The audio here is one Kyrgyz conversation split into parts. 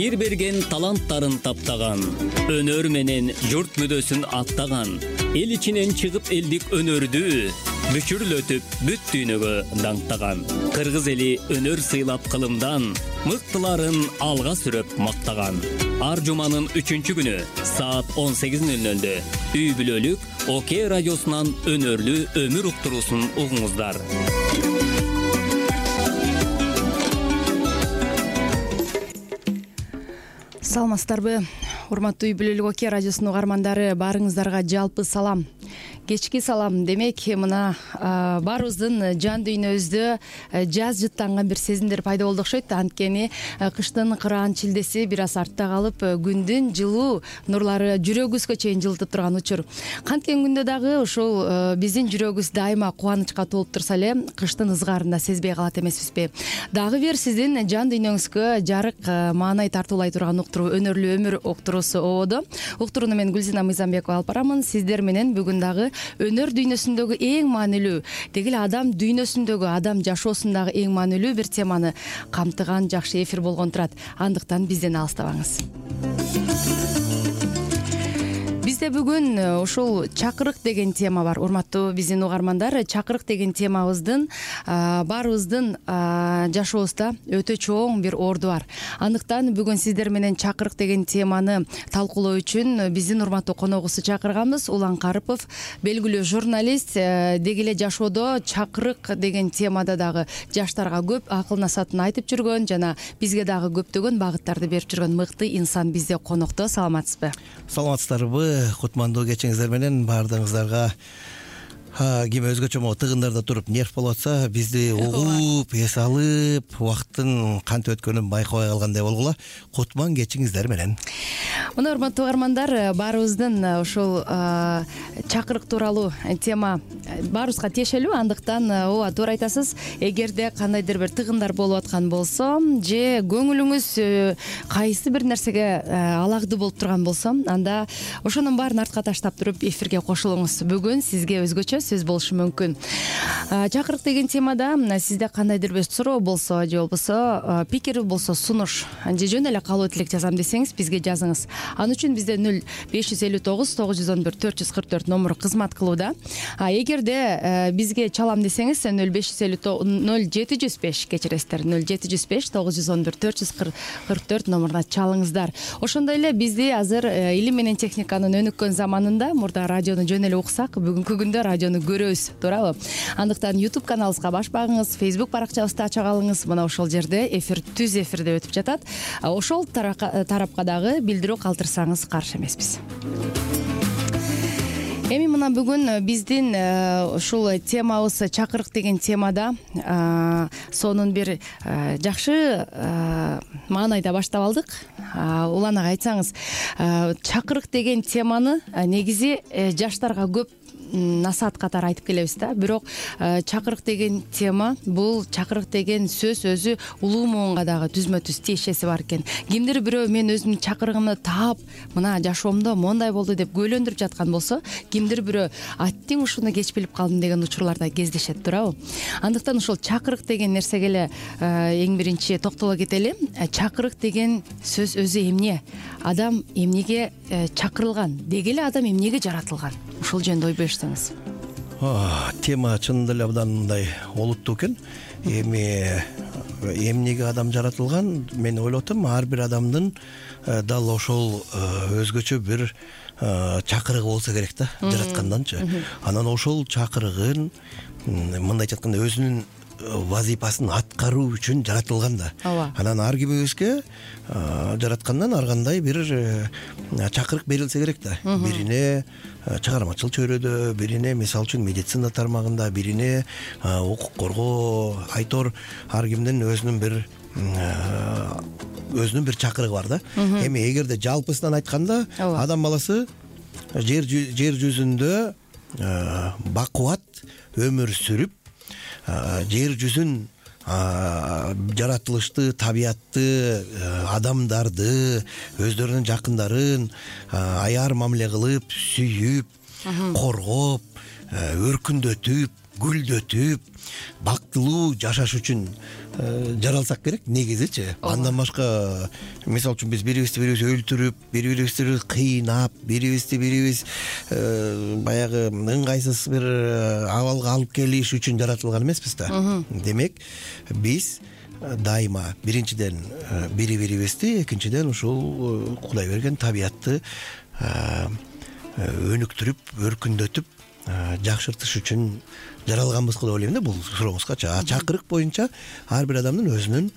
жер берген таланттарын таптаган, өнөр менен журт мүдөсүн аттаган, эл ичинен чыгып элдик өнөрдү бүчүрлөтүп бүт дүйнөгө даңктаган. Кыргыз эли өнөр сыйлап кылымдан, мыктыларын алга сүрөп мактаган. Ар жуманын 3-күнү саат 18:00 үй бүлөлүк ОК радиосунан өнөрлүү өмүр уктуруусун угуңуздар. Саламатсыздарбы, урматтуу үй бүлөлүк ОК радиосунун угармандары, баарыңыздарга жалпы салам. Кечки салам. Демек, мына баарыбыздын жан дүйнөбүздө жаз жыттанган бир сезимдер пайда болду окшойт. Анткени кыштын кыраан чилдеси бир аз артта калып, күндүн жылуу нурлары жүрөгүбүзгө чейин жылытып турган учур. Канткен күндө дагы ушул биздин жүрөгүбүз дайыма кубанычка толуп турса эле, кыштын ызгарын да сезбей калат эмеспизби? Дагы бир сиздин жан дүйнөңүзгө жарык маанай тартуулай турган уктуруу, өнөрлүү өмүр уктуруусу ободо. Уктурууну мен Гүлзина Мыйзамбекова алып барамын. Сиздер менен бүгүн дагы өнөр дүйнөсүндөгү эң маанилүү, деги эле адам дүйнөсүндөгү, адам жашоосундагы эң маанилүү бир теманы камтыган жакшы эфир болгон турат. Андыктан бизден алыстабаңыз. Бизде бүгүн ушул чакырык деген тема бар. Урматтуу биздин угармандар, чакырык деген темабыздын баарыбыздын жашообузда өтө чоң бир орду бар. Андыктан бүгүн сиздер менен чакырык деген теманы талкуулоо үчүн биздин урматтуу коногубузду чакырганбыз. Улан Карыпов, белгилүү журналист, деги эле жашоодо чакырык деген темада дагы жаштарга көп акыл насаатын айтып жүргөн жана бизге дагы көптөгөн багыттарды берип жүргөн мыкты инсан бизде конокто. Саламатсызбы? Саламатсыздарбы? Кутмандуу кечиңиздер менен баардыгыңыздарга. Ким өзгөчө тыгындарда туруп нерв болуп атса, бизди угуп, эс алып, убакыттын кантип өткөнүн байкабай калгандай болгула. Кутман кечиңиздер менен. Мына урматтуу угармандар, баарыбыздын ушул чакырык тууралуу тема баарыбызга тиешелүү. Андыктан ооба, туура айтасыз. Эгерде кандайдыр бир тыгындар болуп аткан болсо, же көңүлүңүз кайсы бир нерсеге алакты болуп турган болсо, анда ошонун баарын артка таштап туруп эфирге кошулуңуз. Бүгүн сизге өзгөчө сөз болушу мүмкүн. Чакырык деген темада сизде кандайдыр бир суроо болсо, же болбосо пикир болсо, сунуш, же жөн эле калуу тилек жазам десеңиз, бизге жазыңыз. Аны үчүн бизде 0559 911 444 номуру кызмат кылууда. Эгерде бизге чалам десеңиз 0705 кечиресиздер, 0705 911 444 номуруна чалыңыздар. Ошондой эле бизди азыр илим менен техниканын өнүккөн заманында мурда радиону жөн эле уксак, бүгүнкү күндө радиону көрөбүз, туурабы? Андыктан YouTube каналыбызга баш багыңыз, Facebook баракчабызды ача калыңыз. Мына ошол жерде эфир түз эфирде өтүп жатат. Ошол тарапка дагы билдирүү калтырсаңыз каршы эмеспиз. Эми мына бүгүн биздин ушул темабыз чакырык деген темада сонун бир жакшы маанайда баштап алдык. Улан ага айтсаңыз, чакырык деген теманы негизи жаштарга көп насаат катары айтып келебиз да. Бирок чакырык деген тема, бул чакырык деген сөз өзү улуу муунга дагы түзмө-түз тиешеси бар экен. Кимдир бирөө мен өзүмдүн чакырыгымды таап, мына жашоомдо мондай болду деп күбөлөндүрүп жаткан болсо, кимдир бирөө аттиң ушуну кеч билип калдым деген учурларда кездешет, туурабы? Андыктан ушул чакырык деген нерсеге эле эң биринчи токтоло кетели. Чакырык деген сөз өзү эмне? Адам эмнеге чакырылган? Деги эле адам эмнеге жаратылган? Ушул жөнүндө ой берсеңиз. Тема чындап эле абдан мындай олуттуу экен. Эмнеге адам жаратылган? Мен ойлоп атам, ар бир адамдын дал ошол өзгөчө бир чакырыгы болсо керек да, жаратканданчы. Анан ошол чакырыгын мындай айтканда өзүнүн вазипасын аткаруу үчүн жаратылган да. Анан ар кимибизге жараткандан ар кандай бир чакырык берилсе керек да. Бирине чыгармачыл чөйрөдө, бирине мисалы үчүн медицина тармагында, бирине укук коргоо, айтор ар кимдин өзүнүн бир чакырыгы бар да. Эми эгерде жалпысынан айтканда, адам баласы жер жүзүндө бакубат өмүр сүрүп, жер жүзүн жаратылышты, табиятты, адамдарды, өздөрүнүн жакындарын аяр мамиле кылып, сүйүп, коргоп, өркүндөтүп, гүлдөтүп бактылуу жашаш үчүн жаралсак керек негизичи. Андан башка мисалы үчүн биз бирибизди бирибиз өлтүрүп, бири-бирибизди кыйнап, бири-бирибизди баягы ыңгайсыз бир абалга алып келиш үчүн жаратылган эмеспиз да. Демек биз дайыма биринчиден бири-бирибизди, экинчиден ушул Кудай берген табиятты өнүктүрүп, өркүндөтүп жакшыртыш үчүн жаралганбызбы деп ойлойм да бул сурооңузга. Чакырык боюнча ар бир адамдын өзүнүн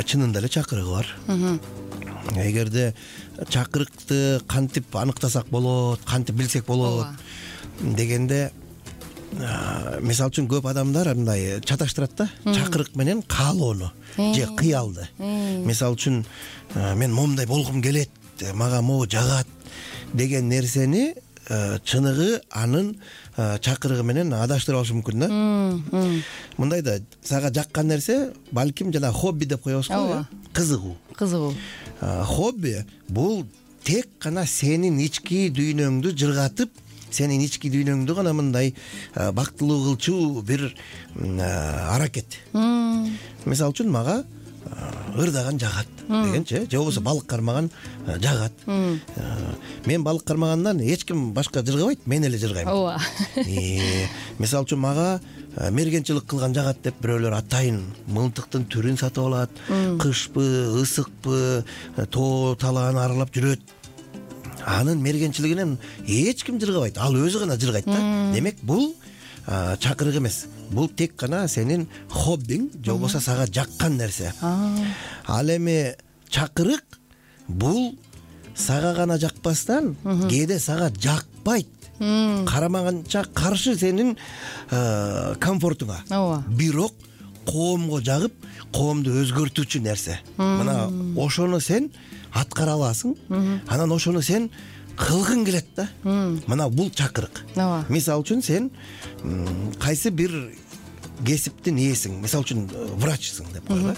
чынында эле чакырыгы бар. Эгерде чакырыкты кантип аныктасак болот, кантип билсек болот дегенде, мисалы үчүн көп адамдар мындай чаташтырат да, чакырык менен каалоону же кыялды. Мисалы үчүн мен момундай болгум келет, мага могу жагат деген нерсени чыныгы анын чакырыгы менен адаштырып алышы мүмкүн да. Мындай да, сага жаккан нерсе балким жана хобби деп коебуз го, кызыгуу. Хобби бул тек гана сенин ички дүйнөңдү жыргатып, сенин ички дүйнөңдү гана мындай бактылуу кылчу бир аракет. Мисалы үчүн мага ырдаган жагат дегенчи, же болбосо балык кармаган жагат. Мен балык кармагандан эч ким башка жыргабайт, мен эле жыргайм. Ооба. Мисалы үчүн мага мергенчилик кылган жагат деп бирөөлөр атайын мылтыктын түрүн сатып алат, кышпы, ысыкпы, тоо талааны аралап жүрөт. Анын мергенчилигинен эч ким жыргабайт, ал өзү гана жыргайт да. Демек бул чакырык эмес. Бул тек гана сенин хоббиң, же болбосо сага жаккан нерсе. Ал эми чакырык бул сага гана жакпастан, кээде сага жакпайт. Карамаганча каршы сенин комфортуңа. Бирок коомго жагып, коомду өзгөртүүчү нерсе. Мына ошону сен аткара аласың, анан ошону сен кылгың келет да. Мына бул чакырык. Мисалы үчүн сен кайсы бир кесиптин ээсиң, мисалы үчүн врачсың деп коелу.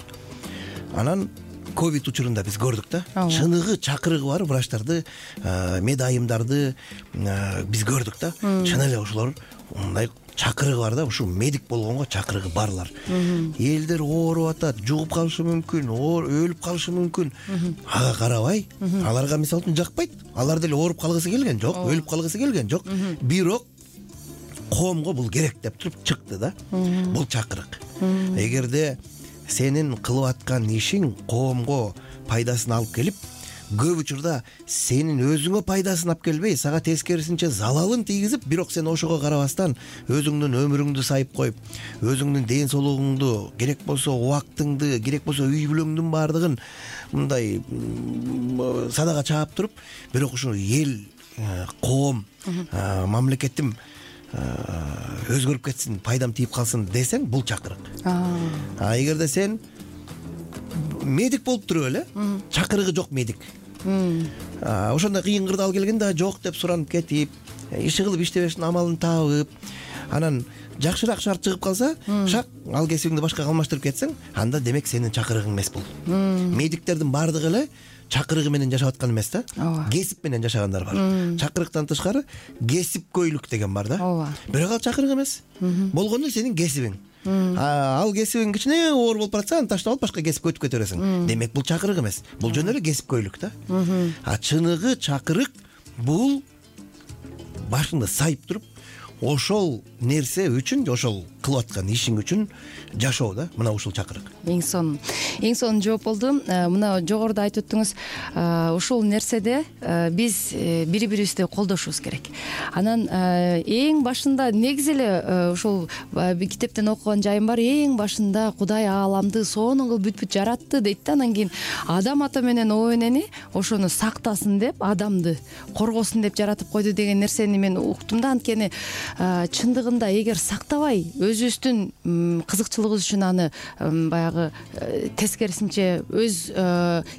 Анан ковид учурунда биз көрдүк да, чыныгы чакырыгы бар врачтарды, медайымдарды биз көрдүк да. Чын эле ошолор мындай чакырыгы бар да, ушу медик болгонго чакырыгы барлар. Элдер ооруп атат, жугуп калышы мүмкүн, өлүп калышы мүмкүн. Ага карабай, аларга мисалы үчүн жакпайт. Алар деле ооруп калгысы келген жок, өлүп калгысы келген жок. Бирок коомго бул керек деп туруп чыкты да. Бул чакырык. Эгерде сенин кылып аткан ишиң коомго пайдасын алып келип, көп учурда сенин өзүңө пайдасын алып келбей, сага тескерисинче залалын тийгизип, бирок сен ошого карабастан өзүңдүн өмүрүңдү сайып коюп, өзүңдүн ден соолугуңду, керек болсо убактыңды, керек болсо үй бүлөңдүн баардыгын мындай садага чаап туруп, бирок ушул эл, коом, мамлекетим өзгөрүп кетсин, пайдам тийип калсын десең, бул чакырык. Эгерде сен медик болуп туруп эле, чакырыгы жок медик, ошондой кыйын кырдаал келгенде жок деп суранып кетип, иши кылып иштебештин амалын табып, анан жакшыраак шарт чыгып калса, шак ал кесибиңди башкага алмаштырып кетсең, анда демек сенин чакырыгың эмес бул. Медиктердин баардыгы эле чакырыгы менен жашап аткан эмес да, кесип менен жашагандар бар. Чакырыктан тышкары кесипкөйлүк деген бар да. Бирок ал чакырык эмес. Болгону сенин кесибиң. Ал кесибиң кичине оор болуп баратса, аны таштап алып башка кесипке өтүп кете бересиң. Демек бул чакырык эмес. Бул жөн эле кесипкөйлүк да. Чыныгы чакырык бул башыңды сайып туруп, ошол нерсе үчүн, ошол кылып аткан ишиң үчүн жашоо да. Мына ушул чакырык. Эң сонун жооп болду. Мына жогоруда айтып өттүңүз, ушул нерседе биз бири-бирибизди колдошубуз керек. Анан эң башында негизи эле ушул китептен окуган жайым бар. Эң башында Кудай ааламды сонун кылып бүт жаратты дейт да. Анан кийин Адам ата менен о энени ошону сактасын деп, адамды коргосун деп жаратып койду деген нерсени мен уктум да. Анткени чындыгында эгер сактабай, өзүбүздүн кызыкчылыгыбыз үчүн аны баягы тескерисинче өз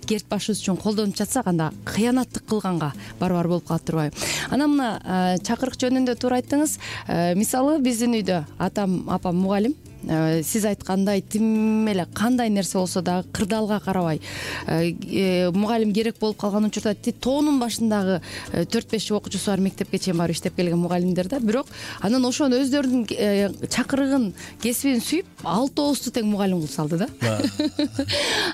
керт башыбыз үчүн колдонуп жатсак, анда кыянаттык кылганга барабар болуп калат турбайбы? Анан мына чакырык жөнүндө туура айттыңыз. Мисалы биздин үйдө атам, апам мугалим, сиз айткандай тим эле кандай нерсе болсо дагы кырдаалга карабай мугалим керек болуп калган учурда тоонун башындагы 4-5 окуучусу бар мектепке чейин барып иштеп келген мугалимдер да, бирок анан ошону өздөрүнүн чакырыгын, кесибин сүйүп 6-9 тең мугалим кылып салды да.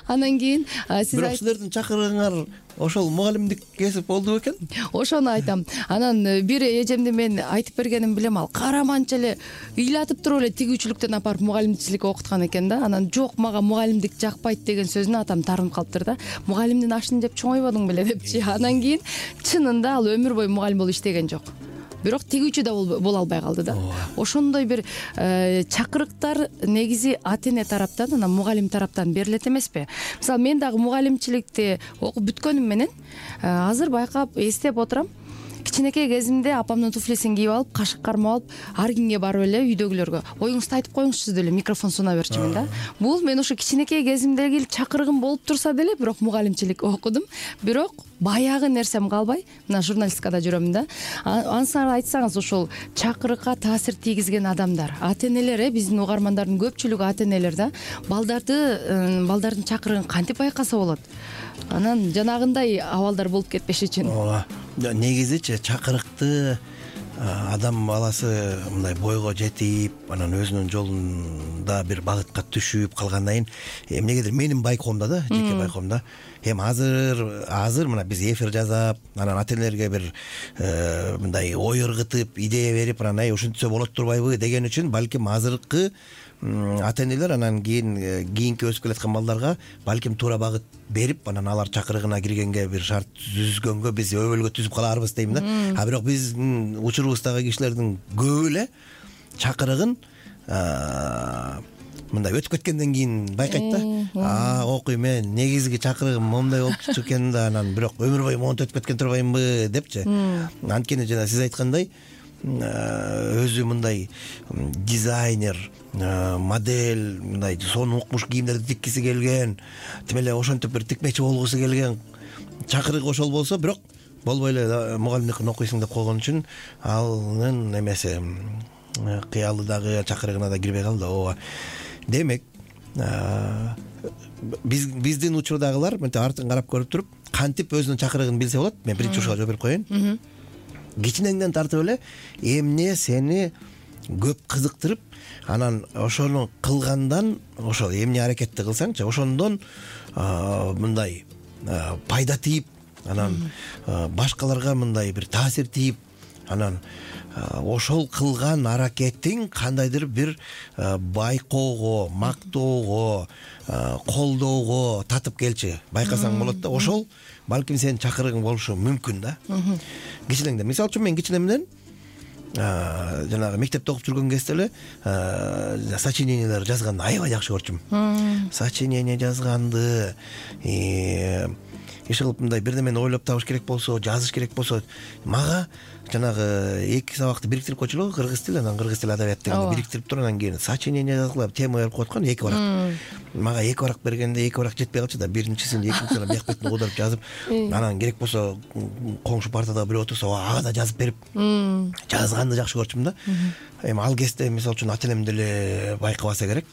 Анан кийин бирок силердин чакырыгыңар ошол мугалимдик кесип болду бекен? Ошону айтам. Анан бир эжемди мен айтып бергенин билем, ал караманча эле ыйлатып туруп эле тигүүчүлүктөн апарып мугалимчиликке окуткан экен да. Анан жок, мага мугалимдик жакпайт деген сөзүнө атам тарынып калыптыр да. Мугалимдин ашын жеп чоңойбодуң беле депчи. Анан кийин чынында ал өмүр бою мугалим болуп иштеген жок. Бирок тигүүчү да боло албай калды да. Ошондой бир чакырыктар негизи ата-эне тараптан, анан мугалим тараптан берилет эмеспи? Мисалы, мен дагы мугалимчиликти окуп бүткөнүм менен азыр байкап эстеп отурам. Кичинекей кезимде апамдын туфлисин кийип алып, кашык кармап алып, ар кимге барып эле үйдөгүлөргө оюңузду айтып коюңузчу деле микрофон суна берчүмүн да. Бул мен ошо кичинекей кезимдеги чакырыгым болуп турса деле, бирок мугалимчилик окудум. Бирок баягы нерсем калбай, мына журналистикада жүрөм да. Ансар айтсаңыз, ошол чакырыкка таасир тийгизген адамдар, ата-энелер, биздин угармандардын көпчүлүгү ата-энелер да, балдардын чакырыгын кантип байкаса болот? Анан жанагындай абалдар болуп кетпеш үчүн. Ооба. Негизичи чакырыкты адам баласы мындай бойго жетип, анан өзүнүн жолунда бир багытка түшүп калгандан кийин эмнегедир менин байкоомдо да, жеке байкоомдо эми азыр мына биз эфир жасап, анан ата-энелерге бир мындай ой ыргытып, идея берип, анан ушинтсе болот турбайбы деген үчүн балким азыркы ата-энелер анан кийинки өсүп келаткан балдарга балким туура багыт берип, анан алар чакырыгына киргенге бир шарт түзгөнгө биз өбөлгө түзүп калаарбыз дейм да. А бирок биздин учурубуздагы кишилердин көбү эле чакырыгын мындай өтүп кеткенден кийин байкайт да. Окуйм, мен негизги чакырыгым момундай болчу экен да, анан бирок өмүр бою монтип өтүп кеткен турбаймынбы депчи. Анткени жана сиз айткандай өзү мындай дизайнер, модель, мындай сонун укмуш кийимдерди тиккиси келген, тим эле ошентип бир тикмечи болгусу келген чакырыгы ошол болсо, бирок болбой эле мугалимдикин окуйсуң деп койгон үчүн анын эмеси кыялы дагы чакырыгына да кирбей калды. Ооба. Демек, биздин учурдагылар мынтип артын карап көрүп туруп, кантип өзүнүн чакырыгын билсе болот? Мен биринчи ушуга жооп берип коеюн. Кичинеңден тартып эле эмне сени көп кызыктырып, анан ошону кылгандан, ошол эмне аракетти кылсаңчы, ошондон мындай пайда тийип, анан башкаларга мындай бир таасир тийип, анан ошол кылган аракетиң кандайдыр бир байкоого, мактоого, колдоого татып келчи, байкасаң болот да. Ошол балким сенин чакырыгың болушу мүмкүн да. Кичинеңден, мисалы үчүн мен кичинемден жанагы мектепте окуп жүргөн кезде эле сочинениялар жазганды аябай жакшы көрчүмүн. Сочинение жазганды, иш кылып мындай бир немени ойлоп табыш керек болсо, жазыш керек болсо, мага жанагы эки сабакты бириктирип койчулу, кыргыз тил, анан кыргыз тил адабият дегенди бириктирип туруп, анан кийин сочинение жазгыла тема берип кояткан 2 барак. Мага 2 барак бергенде 2 барак жетпей калчу да, биринчисин, экинчисин бияк бетин куудуруп жазып, анан керек болсо коңшу партада бирөө отурса, ага да жазып берип, жазганды жакшы көрчүмүн да. Эми ал кезде мисалы үчүн ата-энем деле байкабаса керек.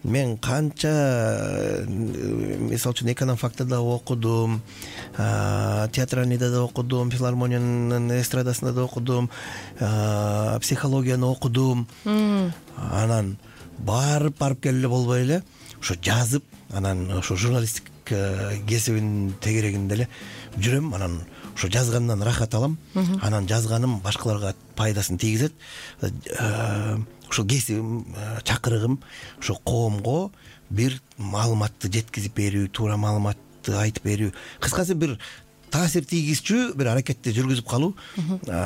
Мен канча мисалы үчүн эконом-фактыда окудум, театральныйда да окудум, филармониянын эстрадасында да окудум, психологияны окудум. Анан барып келип эле болбой эле ошо жазып, анан ошо журналисттик кесибинин тегерегинде эле жүрөм. Анан ошо жазгандан рахат алам. Анан жазганым башкаларга пайдасын тийгизет. Ошо кесибим, чакырыгым ошо коомго бир маалыматты жеткизип берүү, туура маалыматты айтып берүү, кыскасы бир таасир тийгизчү бир аракетти жүргүзүп калуу.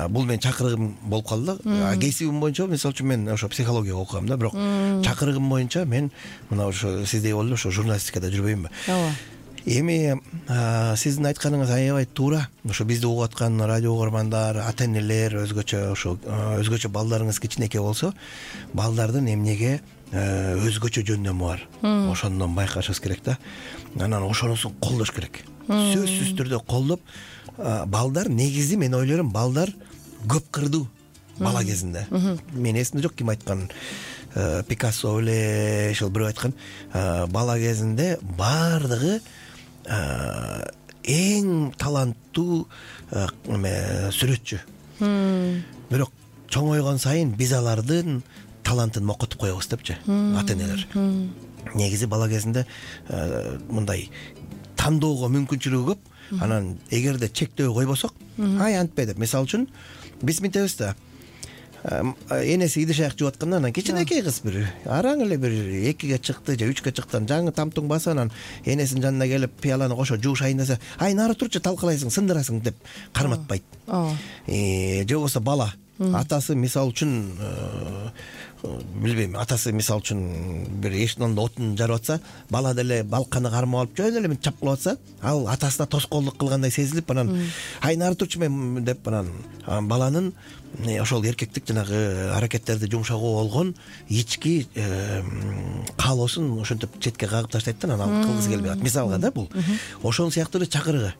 Бул менин чакырыгым болуп калды да. Кесибим боюнча мисалы үчүн мен ошо психология окугам да, бирок чакырыгым боюнча мен мына ошо сиздей болуп ошо журналистикада жүрбөймүнбү? Ооба. Эми сиздин айтканыңыз аябай туура. Ошо бизди угуп аткан радио угармандар, ата-энелер, өзгөчө балдарыңыз кичинекей болсо, балдардын эмнеге өзгөчө жөндөмү бар. Ошондон байкашыбыз керек да. Анан ошонусун колдош керек. Сөзсүз түрдө колдоп, балдар негизи мен ойлойм, балдар көп кырдуу бала кезинде. Мен эсимде жок ким айткан. Пикассо эле ушул бирөө айткан, бала кезинде баардыгы эң таланттуу сүрөтчү. Бирок чоңойгон сайын биз алардын талантын мокотуп коебуз депчи ата энелер. Негизи бала кезинде мындай тандоого мүмкүнчүлүгү көп. Анан эгерде чектөө койбосок, ай антпе деп, мисалы үчүн биз мынтебиз да, энеси идиш аяк жууп атканда анан кичинекей кыз бир араң эле бир 2-ге чыкты же 3-ге чыктан жаңы тамтуң басып анан энесинин жанына келип пияланы кошо жуушайын десе, ай нары турчу талкалайсың, сындырасың деп карматпайт. Же болбосо бала атасы мисалы үчүн билбейм, атасы мисалы үчүн бир эшиктин алдында отун жарып атса, бала деле балканы кармап алып жөн эле мынтип чапкылап атса, ал атасына тоскоолдук кылгандай сезилип, анан ай нары турчу мен деп, анан баланын ошол эркектик жанагы аракеттерди жумшагуу болгон ички каалоосун ошентип четке кагып таштайт да, анан кылгысы келбей калат. Мисалга да, бул ошол сыяктуу эле чакырыгы.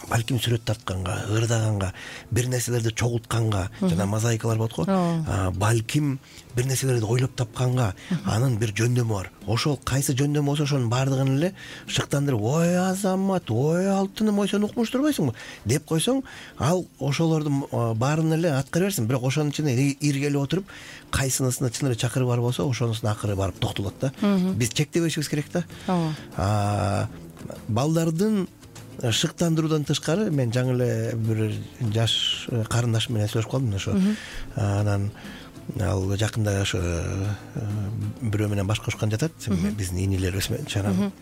Балким сүрөт тартканга, ырдаганга, бир нерселерди чогултканга, жана мозаикалар болот го. Балким бир нерселерди ойлоп тапканга анын бир жөндөмү бар. Ошол кайсы жөндөмү болсо ошонун баардыгын эле шыктандырып, ой азамат, ой алтыным, ой сен укмуш турбайсыңбы деп койсоң, ал ошолордун баарын эле аткара берсин. Бирок ошонун ичине иргелеп отуруп, кайсынысына чын эле чакырыгы бар болсо, ошонусуна акыры барып токтолот да. Биз чектебешибиз керек да. Балдардын шыктандыруудан тышкары мен жаңы эле бир жаш карындашым менен сүйлөшүп калдым ошо. Анан ал жакында ошо бирөө менен баш кошкон жатат, биздин инилерибиз менен. Анан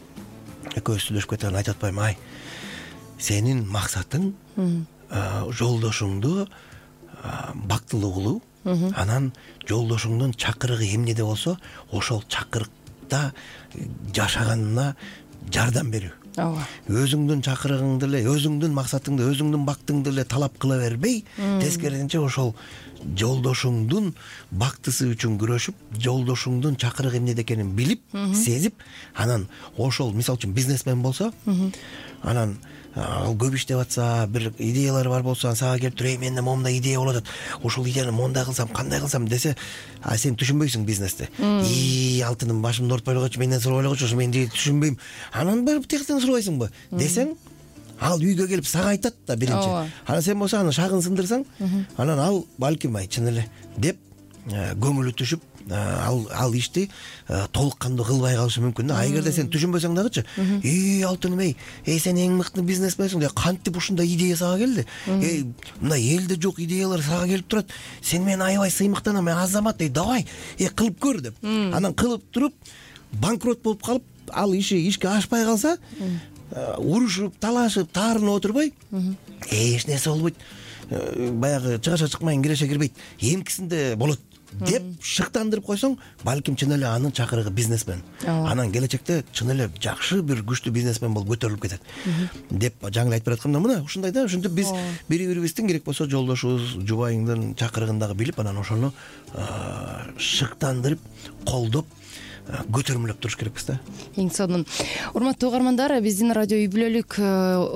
экөөбүз сүйлөшүп кетип айтып атпаймынбы, ай сенин максатың жолдошуңду бактылуу кылуу, анан жолдошуңдун чакырыгы эмнеде болсо ошол чакырыкта жашаганына жардам берүү. Өзүңдүн чакырыгыңды эле, өзүңдүн максатыңды, өзүңдүн бактыңды эле талап кыла бербей, тескерисинче ошол жолдошуңдун бактысы үчүн күрөшүп, жолдошуңдун чакырыгы эмнеде экенин билип, сезип, анан ошол мисалы үчүн бизнесмен болсо, анан ал көп иштеп атса, бир идеялары бар болсо, сага келип туруп, менде момундай идея болуп атат, ошол идеяны мондай кылсам, кандай кылсам десе, сен түшүнбөйсүң бизнести. Алтыным башымды оорутпай койчу, менден сурабай койчу, мен түшүнбөйм. Анан барып тияктан сурабайсыңбы десең, ал үйгө келип сага айтат да биринчи. Анан сен болсо аны шагын сындырсаң, анан ал балким ай чын эле деп көңүлү түшүп, ал ишти толук кандуу кылбай калышы мүмкүн да. Эгерде сен түшүнбөсөң дагычы, алтыным сен эң мыкты бизнесменсиң деп, кантип ушундай идея сага келди? Мындай элде жок идеялар сага келип турат. Сен мен аябай сыймыктанам, мен азамат, давай, кылып көр деп. Анан кылып туруп банкрот болуп калып, ал ишке ашпай калса, урушуп, талашып, таарынып отурбай, эч нерсе болбойт. Баягы чыгаша чыкмайын, киреше кирбейт. Эмкисинде болот деп шыктандырып койсоң, балким чын эле анын чакырыгы бизнесмен. Анан келечекте чын эле жакшы бир күчтүү бизнесмен болуп көтөрүлүп кетет деп жаңы айтып баратканда, мына ушундай да. Ошентип биз бири-бирибиздин керек болсо жолдошубуз, жубайыңдын чакырыгын дагы билип, анан ошону шыктандырып, колдоп, көтөрмөлөп туруш керекпиз да. Эң сонун. Урматтуу угармандар, биздин радио үй бүлөлүк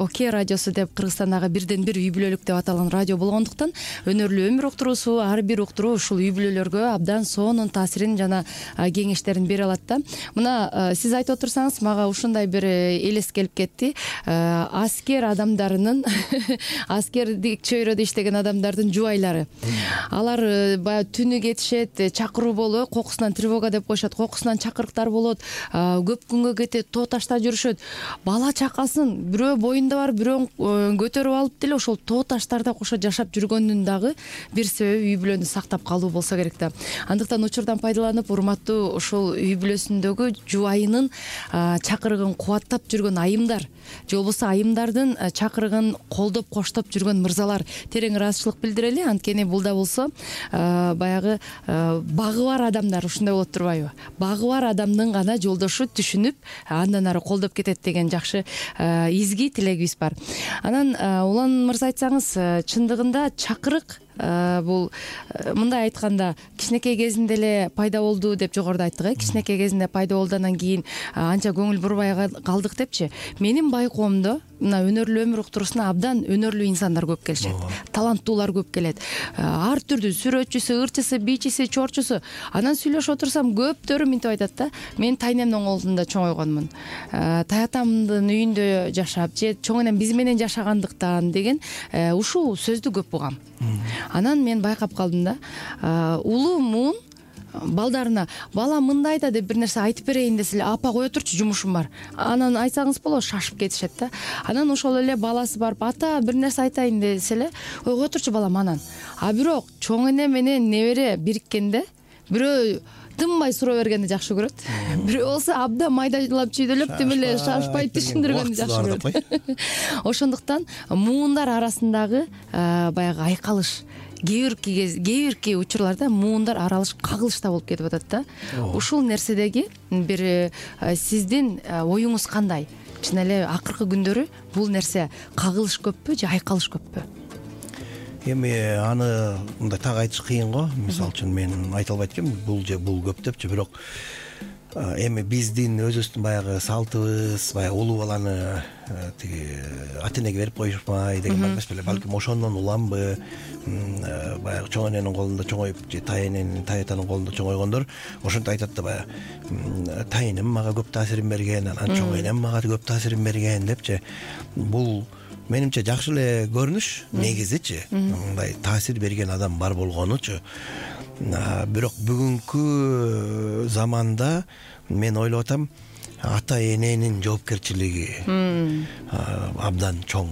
ОК радиосу деп Кыргызстандагы бирден бир үй бүлөлүк деп аталган радио болгондуктан, өнөрлүү өмүр уктуруусу ар бир уктуруу ушул үй бүлөлөргө абдан сонун таасирин жана кеңештерин бере алат да. Мына сиз айтып отурсаңыз, мага ушундай бир элес келип кетти. Аскер адамдарынын аскердик чөйрөдө иштеген адамдардын жубайлары. Алар баягы түнү кетишет, чакыруу болуп, кокусунан тревога деп коюшат, кокусунан чакырыктар болот, көп күнгө кетет, тоо ташта жүрүшөт. Бала чакасын бирөө боюнда бар, бирөө көтөрүп алып деле ошол тоо таштарда кошо жашап жүргөндүн дагы бир себеби үй бүлөнү сактап калуу болсо керек да. Андыктан учурдан пайдаланып, урматтуу ушул үй бүлөсүндөгү жубайынын чакырыгын кубаттап жүргөн айымдар, же болбосо айымдардын чакырыгын колдоп коштоп жүргөн мырзалар, терең ыраазычылык билдирели. Анткени бул да болсо баягы багы бар адамдар ушундай болот турбайбы? Багы бар адамдын гана жолдошу түшүнүп, андан ары колдоп кетет деген жакшы изги тилегибиз бар. Анан Улан мырза айтсаңыз, чындыгында чакырык бул мындай айтканда кичинекей кезинде эле пайда болду деп жогоруда айттык. Кичинекей кезинде пайда болду, анан кийин анча көңүл бурбай калдык депчи. Менин байкоомдо мына өнөрлүү өмүр уктуруусуна абдан өнөрлүү инсандар көп келишет, таланттуулар көп келет. Ар түрдүү сүрөтчүсү, ырчысы, бичиси, чорчусу. Анан сүйлөшүп отурсам көптөрү мынтип айтат да: мен тайнемдин колунда чоңойгонмун, таятамдын үйүндө жашап же чоң энем биз менен жашагандыктан деген ушул сөздү көп угам. Анан мен байкап калдым да, улуу муун балдарына: бала мындай да деп бир нерсе айтып берейин десе эле, апа кое турчу, жумушум бар. Анан айтсаңыз болот, шашып кетишет да. Анан ошол эле баласы барып: ата бир нерсе айтайын десе эле: ой кое турчу балам анан. А бирок чоң эне менен небере бириккенде бирөө тынбай суроо бергенди жакшы көрөт. Бирөө болсо абдан майдалап чүйдөлөп тим эле шашпай түшүндүргөндү жакшы көрөт. Ошондуктан муундар арасындагы баягы айкалыш, кээ бирки учурларда муундар аралаш кагылышта болуп кетип атат да. Ушул нерседеги бир сиздин оюңуз кандай? Чын эле акыркы күндөрү бул нерсе кагылыш көппү же айкалыш көппү? Эми аны мындай так айтыш кыйын го. Мисалы үчүн мен айта албайт экенмин бул же бул көп депчи, бирок эми биздин өзүбүздүн баягы салтыбыз, баягы улуу баланы тиги ата энеге берип коюшмай деген бар эмес беле. Балким ошондон уламбы, баягы чоң эненин колунда чоңоюп же таятанын колунда чоңойгондор ошентип айтат да, баягы тайынем мага көп таасирин берген, анан чоң энем мага көп таасирин берген депчи. Бул менимче жакшы эле көрүнүш негизичи, мындай таасир берген адам бар болгонучу. Бирок бүгүнкү заманда мен ойлоп атам, ата эненин жоопкерчилиги абдан чоң.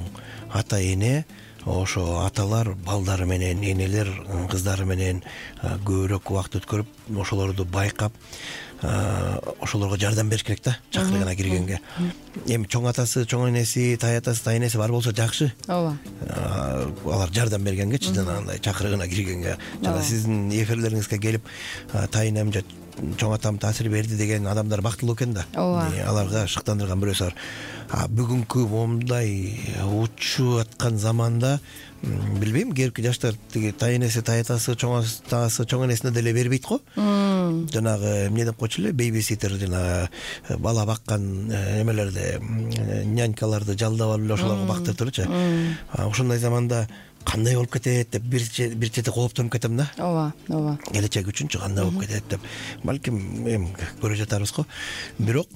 Ата эне, ошо аталар балдары менен, энелер кыздары менен көбүрөөк убакыт өткөрүп, ошолорду байкап, ошолорго жардам бериш керек да, чакырыгына киргенге. Эми чоң атасы, чоң энеси, таятасы, тайэнеси бар болсо жакшы. Ооба. Алар жардам бергенгечи, жанагындай чакырыгына киргенге. Жана сиздин эфирлериңизге келип тайынем же чоң атам таасир берди деген адамдар бактылуу экен да. Аларга шыктандырган бирөөсү бар. Бүгүнкү момундай учуп аткан заманда билбейм, кээбирки жаштар тиги тайэнеси, таятасы, чоң атасы, чоң энесине деле бербейт го. Жанагы эмне деп койчу эле, бейбиситер, жана бала баккан эмелерди, нянькаларды жалдап алып эле ошолорго бактырып турчу. Ошондой заманда кандай болуп кетет деп бир чети кооптонуп кетем да. Ооба. Келечек үчүнчү кандай болуп кетет деп. Балким эми көрө жатарбыз го. Бирок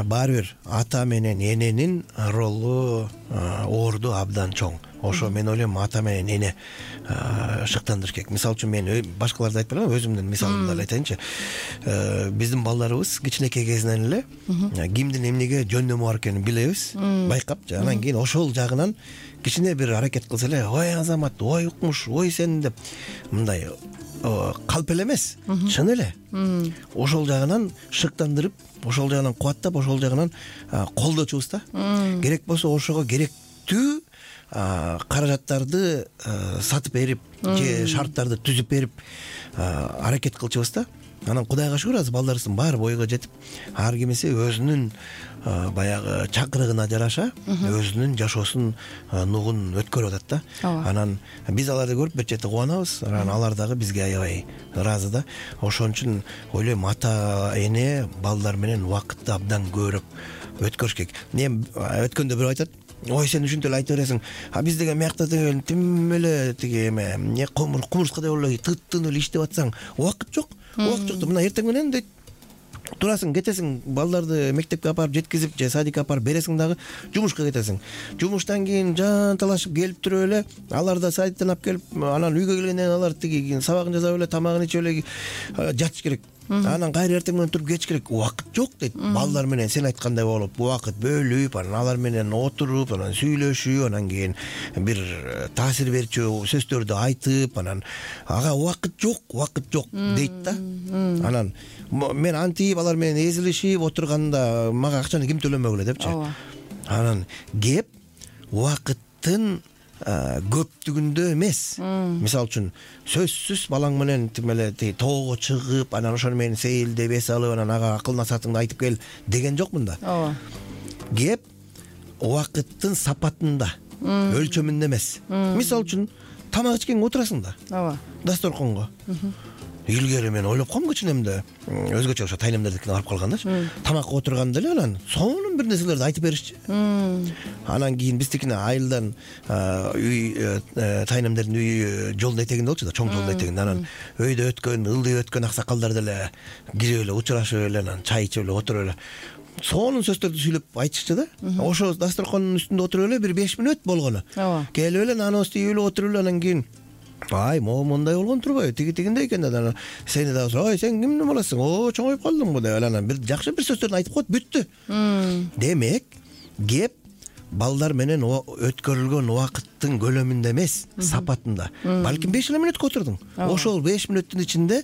баары бир ата менен эненин ролу орду абдан чоң. Ошо мен ойлойм, ата менен эне шыктандырыш керек. Мисалы үчүн мен башкаларды айтпай эле, өзүмдүн мисалымды эле айтайынчы. Биздин балдарыбыз кичинекей кезинен эле кимдин эмнеге жөндөмү бар экенин билебиз, байкап, анан кийин ошол жагынан кичине бир аракет кылса эле: ой Азамат, ой Укмуш, ой сен деп мындай калп эле эмес, чын эле ошол жагынан шыктандырып, ошол жагынан кубаттап, ошол жагынан колдочубуз да. Керек болсо ошого керектүү каражаттарды сатып берип же шарттарды түзүп берип аракет кылчубуз да. Анан Кудайга шүгүр, азыр балдарыбыздын баары бойго жетип, ар кимиси өзүнүн баягы чакырыгына жараша өзүнүн жашоосун нугун өткөрүп атат да. Анан биз аларды көрүп бир чети кубанабыз, анан алар дагы бизге аябай ыраазы да. Ошон үчүн ойлойм, ата эне балдар менен убакытты абдан көбүрөөк өткөрүш керек. Эми өткөндө бирөө айтат: ой сен ушинтип эле айта бересиң, биз деген мыякта деген тим эле тиги эме кумурскадай болуп эле тыттын эле иштеп атсаң убакыт жок. Убакыт жок. Мына эртең менен дейт, турасың, кетесиң, балдарды мектепке апарып жеткизип же садикке апарып бересиң, дагы жумушка кетесиң. Жумуштан кийин жанталашып келип туруп эле, алар да садиктен алып келип, анан үйгө келгенден кийин алар тиги сабагын жасап эле, тамагын ичип эле жатыш керек. Анан кайра эртең менен туруп кетиш керек. Убакыт жок дейт. Балдар менен сен айткандай болуп, убакыт бөлүп, анан алар менен отуруп, анан сүйлөшүп, анан кийин бир таасир берчү сөздөрдү айтып, анан ага убакыт жок дейт да. Анан мен антип алар менен эзилишип отурганда мага акчаны ким төлөмөгүлө депчи. Анан кеп убакыттын көптүгүндө эмес. Мисалы үчүн сөзсүз балаң менен тим эле тоого чыгып, анан ошону менен сейилдеп эс алып, анан ага акыл насаатыңды айтып кел деген жок мында. Кеп убакыттын сапатында, өлчөмүндө эмес. Мисалы үчүн тамак ичкенге отурасың да ооба дасторконго. Илгери мен ойлоп койгом кичинемде өзгөчө ошо тайнемдердикине барып калгандачы. Тамакка отурганда эле анан сонун бир нерселерди айтып беришчи. Анан кийин биздикине айылдан үй тайнемдердин үйү жолдун этегинде болчу да, чоң жолдун этегинде. Анан өйдө өткөн, ылдый өткөн аксакалдар деле кирип эле учурашып эле анан чай ичип эле отуруп эле сонун сөздөрдү сүйлөп айтышчу да. Ошо дасторкондун үстүндө отуруп эле бир 5 мүнөт болгону. Келип эле наныбызды ийип эле отуруп эле анан кийин ай, могу мындай болгон турбайбы? Тигиндей экен да. Сени да ой, сен кимдин баласың? О, чоңоюп калдыңбы деп анан бир жакшы бир сөздөрдү айтып коет, бүттү. Демек, кеп балдар менен өткөрүлгөн убакыттын көлөмүндө эмес, сапатында. Балким 5 мүнөткө отурдуң. Ошол 5 мүнөттүн ичинде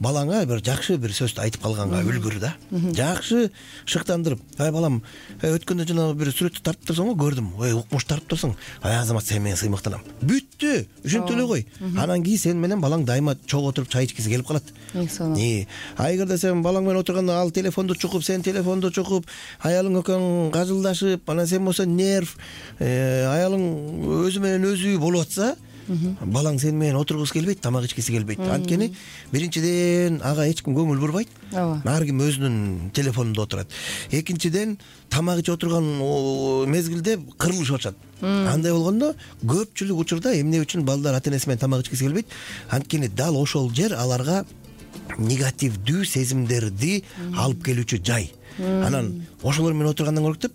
балаңа бир жакшы бир сөздү айтып калганга үлгүр да. Жакшы шыктандырып, ай балам, өткөндө жана бир сүрөттү тартып турсаң го көрдүм. Ой, укмуш тартып турсаң. Ай, азамат, сен менен сыймыктанам. Бүттү. Ушинтип эле кой. Анан кийин сен менен балаң дайыма чогуу отуруп чай ичкиси келип калат. Эгерде сен балаң менен отурганда ал телефонду чукуп, сен телефонду чукуп, аялың экөөң кажылдашып, анан сен болсо нерв, аялың өзү менен өзү болуп атса, балаң сен менен отургусу келбейт, тамак ичкиси келбейт. Анткени биринчиден ага эч ким көңүл бурбайт. Ар ким өзүнүн телефонунда отурат. Экинчиден тамак ичип отурган мезгилде кырылышып атышат. Андай болгондо көпчүлүк учурда эмне үчүн балдар ата-энеси менен тамак ичкиси келбейт? Анткени дал ошол жер аларга негативдүү сезимдерди алып келүүчү жай. Анан ошолор менен отургандан көрктүп,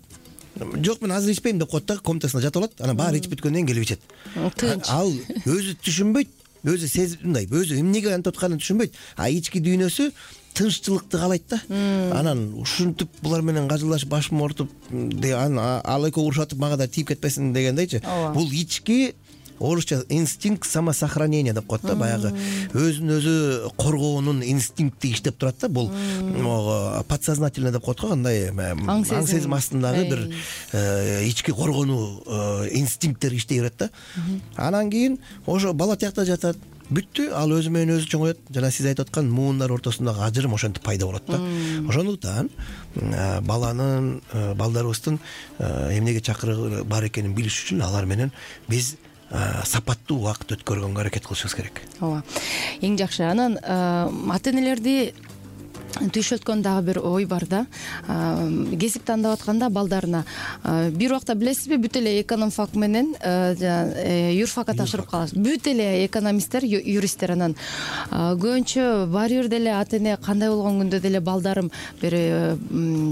жок, мен азыр ичпейм деп коет да, комнатасына жатып алат. Анан баары ичип бүткөндөн кийин келип ичет. Ал өзү түшүнбөйт, өзү мындай, өзү эмнеге антип атканын түшүнбөйт. А ички дүйнөсү тынччылыкты каалайт да. Анан ушинтип булар менен кажылдашып, башым оорутуп, ал экөө урушатып мага да тийип кетпесин дегендейчи. Бул ички орусча инстинкт самосохранения деп коет да, баягы өзүн өзү коргоонун инстинкти иштеп турат да. Бул подсознательно деп коет го, кандай аң сезим астындагы бир ички коргонуу инстинкттер иштей берет да. Анан кийин ошо бала тиякта жатат. Бүттү, ал өзү менен өзү чоңоет. Жана сиз айтып аткан муундар ортосундагы ажырым ошентип пайда болот да. Ошондуктан балдарыбыздын эмнеге чакырыгы бар экенин билиш үчүн алар менен биз сапаттуу убакыт өткөргөнгө аракет кылышыбыз керек. Ооба. Эң жакшы. Анан ата-энелерди түйшөлткөн дагы бир ой бар да. Кесип тандап атканда балдарына бир убакта билесизби, бүт эле экономфак менен юрфакка тапшырып калат. Бүт эле экономисттер, юристтер. Анан көбүнчө баары бир деле ата-эне кандай болгон күндө деле балдарым бир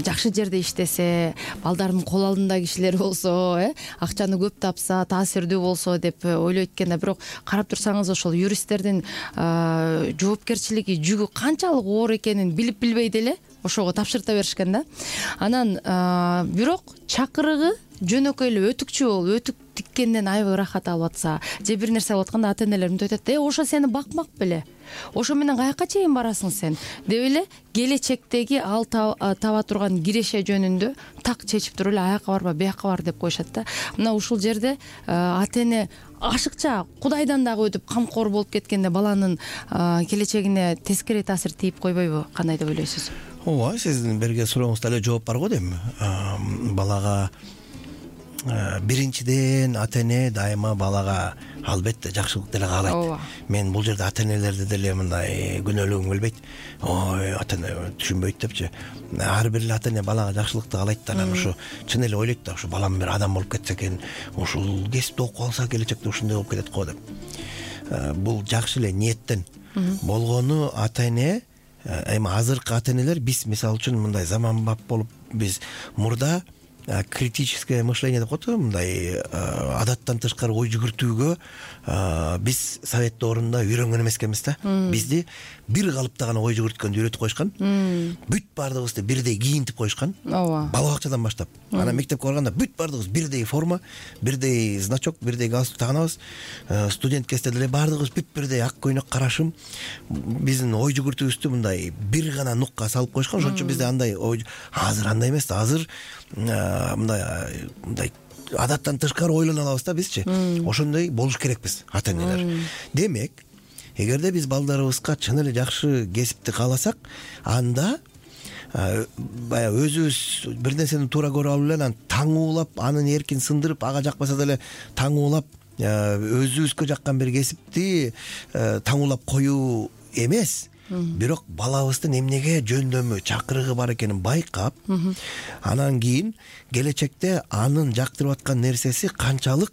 жакшы жерде иштесе, балдарымдын кол алдында кишилер болсо, акчаны көп тапса, таасирдүү болсо деп ойлойт экен да. Бирок карап турсаңыз, ошол юристтердин жоопкерчилиги, жүгү канчалык оор экенин билбей деле ошого тапшырта беришкен да. Анан бирок чакырыгы жөнөкөй эле өтүкчү болуп, өтүк тиккенден аябай ырахат алып атса, же бир нерсе болуп атканда ата-энелерим айтат: ошо сени бакмак беле? Ошо менен каяка чейин барасың сен?" деп эле келечектеги ал таба турган киреше жөнүндө так чечип туруп эле аяка барба, бияка бар деп коюшат да. Мына ушул жерде ата-эне ашыкча Кудайдан дагы өтүп камкор болуп кеткенде баланын келечегине тескери таасир тийип койбойбу? Кандай деп ойлойсуз? Ооба, сиздин берген сурооңузда эле жооп бар го дейм. Балага биринчиден ата-эне дайыма балага албетте жакшылык деле каалайт. Мен бул жерде ата-энелерди деле мындай күнөөлөгүм келбейт. Ой, ата-эне түшүнбөйт депчи. Ар бир ата-эне балага жакшылыкты каалайт да. Анан ушу чын эле ойлойт да, ушу балам бир адам болуп кетсе экен, ушул кесипти окуп алса келечекте ушундай болуп кетет го деп. Бул жакшы эле ниеттен болгону ата-эне. Эми азыркы ата-энелер биз мисалы үчүн мындай заманбап болуп, биз мурда критическое мышление деп коет, мындай адаттан тышкары ой жүгүртүүгө биз совет доорунда үйрөнгөн эмес экенбиз да. Бизди бир калыпта гана ой жүгүрткөндү үйрөтүп коюшкан. Бүт баардыгыбызды бирдей кийинтип коюшкан. Бала бакчадан баштап. Анан мектепке барганда бүт баардыгыбыз бирдей форма, бирдей значок, бирдей галстук тагынабыз. Студент кезде деле баардыгыбыз бүт бирдей ак көйнөк, карашым. Биздин ой жүгүртүүбүздү мындай бир гана нукка салып коюшкан. Ошон үчүн бизде андай ой, азыр андай эмес да. Азыр мындай адаттан тышкары ойлоно алабыз да бизчи. Ошондой болуш керекпиз ата-энелер. Демек, эгерде биз балдарыбызга чын эле жакшы кесипти кааласак, анда баягы өзүбүз бир нерсени туура көрүп алып эле анан таңуулап, анын эркин сындырып, ага жакпаса деле таңуулап өзүбүзгө жаккан бир кесипти таңуулап коюу эмес, бирок балабыздын эмнеге жөндөмү, чакырыгы бар экенин байкап, анан кийин келечекте анын жактырып аткан нерсеси канчалык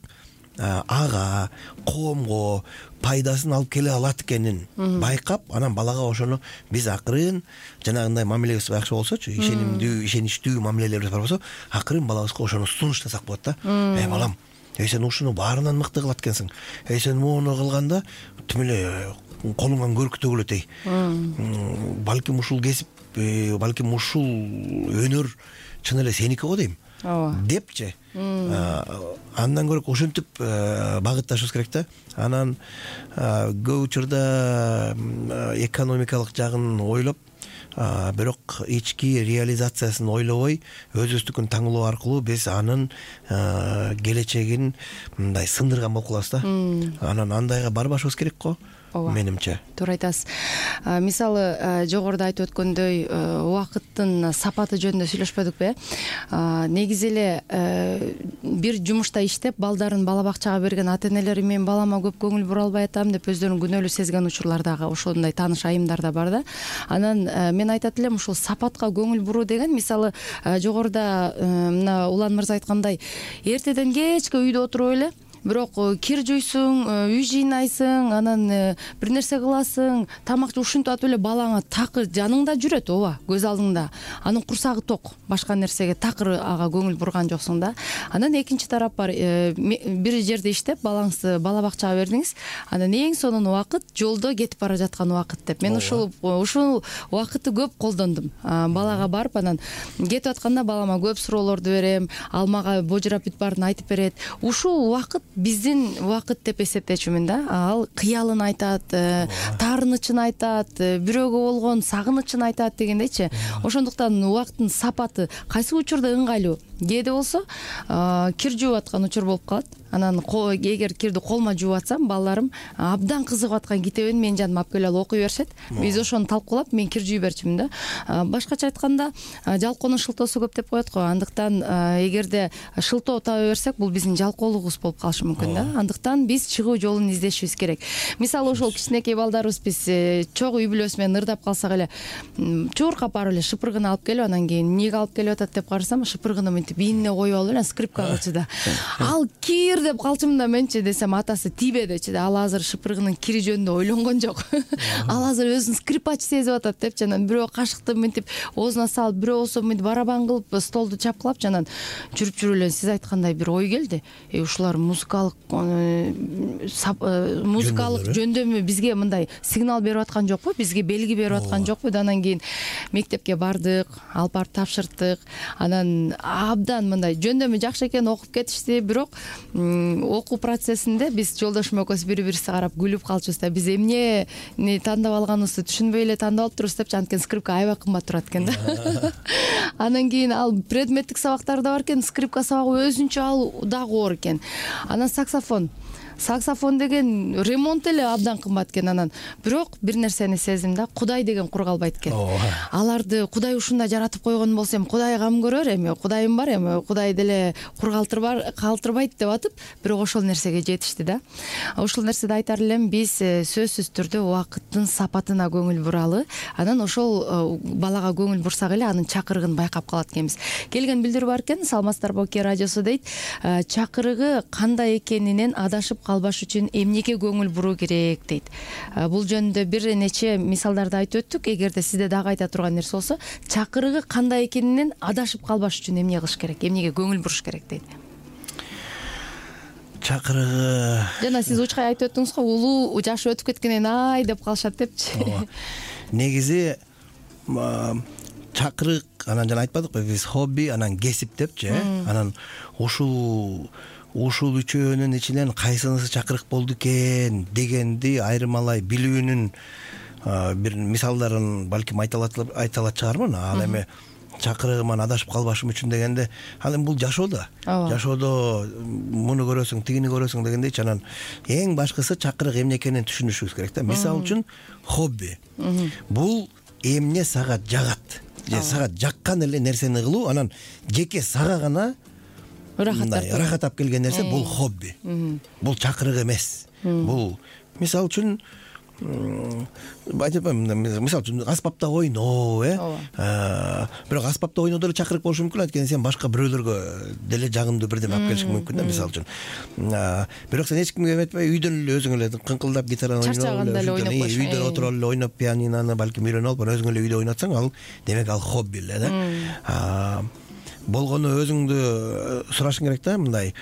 ага, коомго пайдасын алып келе алат экенин байкап, анан балага ошону биз акырын жанагындай мамилебиз жакшы болсочу, ишеничтүү мамилелерибиз бар болсо, акырын балабызга ошону сунуштасак болот да. Балам, сен ушуну баарынан мыкты кылат экенсиң. Сен муну кылганда тим эле колуңан көрүк төгүлөт. Балким ушул кесип, балким ушул өнөр чын эле сеники го дейм. Депчи. Андан көрө ошентип багытташыбыз керек да. Анан көп учурда экономикалык жагын ойлоп, бирок ички реализациясын ойлобой, өзүбүздүкүн таңуулоо аркылуу биз анын келечегин мындай сындырган болуп калабыз да. Анан андайга барбашыбыз керек го. Менимче. Туура айтасыз. Мисалы, жогоруда айтып өткөндөй, убакыттын сапаты жөнүндө сүйлөшпөдүкпү? Негизи эле бир жумушта иштеп, балдарын бала бакчага берген ата-энелер мен балама көп көңүл бура албай атам деп өздөрүн күнөөлүү сезген учурлар дагы, ошондой тааныш айымдар да бар да. Анан мен айтат элем, ушул сапатка көңүл буруу деген, мисалы, жогоруда мына Улан мырза айткандай, эртеден кечке үйдө отуруп эле, бирок кир жуйсуң, үй жыйнайсың, анан бир нерсе кыласың, тамак ушинтип атып эле балаңа такыр жаныңда жүрөт, ооба, көз алдыңда. Анын курсагы ток, башка нерсеге такыр ага көңүл бурган жоксуң да. Анан экинчи тарап бар, бир жерде иштеп, балаңызды бала бакчага бердиңиз, анан эң сонун убакыт жолдо кетип бара жаткан убакыт деп. Мен ушул убакытты көп колдондум. Балага барып, анан кетип атканда балама көп суроолорду берем, ал мага божурап бүт баарын айтып берет. Ушул убакыт биздин убакыт деп эсептечүмүн да. Ал кыялын айтат, таарынычын айтат, бирөөгө болгон сагынычын айтат дегендейчи. Ошондуктан убакыттын сапаты кайсы учурда ыңгайлуу? Кээде болсо кир жууп аткан учур болуп калат. Анан эгер кирди колума жууп атсам, балдарым абдан кызыгып аткан китебин менин жаныма алып келип окуй беришет. Биз ошону талкуулап, мен кир жууй берчүмүн да. Башкача айтканда, жалкоонун шылтоосу көп деп коет го. Андыктан эгерде шылтоо таба берсек, бул биздин жалкоолугубуз болуп калышы мүмкүн да. Андыктан биз чыгуу жолун издешибиз керек. Мисалы, ошол кичинекей балдарыбыз биз чогуу үй бүлөсү менен ырдап калсак эле, чууркап барып эле шыпыргыны алып келип, анан кийин эмнеге алып келип атат деп карасам, шыпыргыны мынтип ийинине коюп алып эле скрипка кылчу да. Ал кир деп калчумун да, менчи десем, атасы тибе дечи да. Ал азыр шыпыргынын кири жөнүндө ойлонгон жок. Ал азыр өзүн скрипач сезип атат депчи. Анан бирөө кашыкты мынтип оозуна салып, бирөө болсо мынтип барабан кылып столду чапкылап, анан жүрүп эле сиз айткандай бир ой келди. Ушулар музыкалык жөндөмү бизге мындай сигнал берип аткан жокпу, бизге белги берип аткан жокпу? Анан кийин мектепке бардык, алып барып тапшырттык. Анан абдан мындай жөндөмү жакшы экен, окуп кетишти. Бирок окуу процессинде биз жолдошум экөөбүз бири-бирибизге карап күлүп калчубуз да. Биз эмнени тандап алганыбызды түшүнбөй эле тандап алып турубуз депчи. Анткени скрипка аябай кымбат турат экен да. Анан кийин ал предметтик сабактар да бар экен, скрипка сабагы өзүнчө ал дагы оор экен. Анан саксофон деген ремонт эле абдан кымбат экен. Анан бирок бир нерсени сездим да, Кудай деген кур калбайт экен. Аларды Кудай ушундай жаратып койгон болсо, Кудай кам көрөр, эми Кудайым бар, эми Кудай деле кур калтырбайт деп атып, бирок ошол нерсеге жетишти да. Ушул нерседе айтар элем, биз сөзсүз түрдө убакыттын сапатына көңүл буралы. Анан ошол балага көңүл бурсак эле анын чакырыгын байкап калат экенбиз. Келген билдирүү бар экен, саламатсыздарбы Оке радиосу дейт. Чакырыгы кандай экенинен адашып калбаш үчүн эмнеге көңүл буруу керек дейт. Бул жөнүндө бир нече мисалдарды айтып өттүк. Эгерде сизде дагы айта турган нерсе болсо, чакырыгы кандай экенинен адашып калбаш үчүн эмне кылыш керек, эмнеге көңүл буруш керек дейт. Чакырыгы жана сиз учкай айтып өттүңүз го, улуу жашы өтүп кеткенден ай деп калышат депчи. Негизи чакырык, анан жана айтпадыкпы биз хобби, анан кесип депчи. Анан ушул үчөөнүн ичинен кайсынысы чакырык болду экен дегенди айырмалай билүүнүн бир мисалдарын балким айта алат чыгармын. Ал эми чакырыгыман адашып калбашым үчүн дегенде, ал эми бул жашоодо муну көрөсүң, тигини көрөсүң дегендейчи. Анан эң башкысы чакырык эмне экенин түшүнүшүбүз керек да. Мисалы үчүн хобби. Бул эмне сага жагат, же сага жаккан эле нерсени кылуу, анан жеке сага гана ырахат алып келген нерсе бул хобби. Бул чакырык эмес. Бул мисалы үчүн айтып атпаймынбы, мисалы үчүн аспапта ойноо, бирок аспапта ойноо деле чакырык болушу мүмкүн, анткени сен башка бирөөлөргө деле жагымдуу бирдеме алып келишиң мүмкүн да, мисалы үчүн. Бирок сен эч кимге эметпей үйдөн эле өзүң эле кыңкылдап гитараны ойноп, чарчаганда эле ойноп коюш, үйдөн отуруп эле ойноп, пианинону балким үйрөнүп алып, өзүң эле үйдө ойнотсаң, ал демек ал хобби эле да. Болгону өзүңдү сурашың керек да, мындай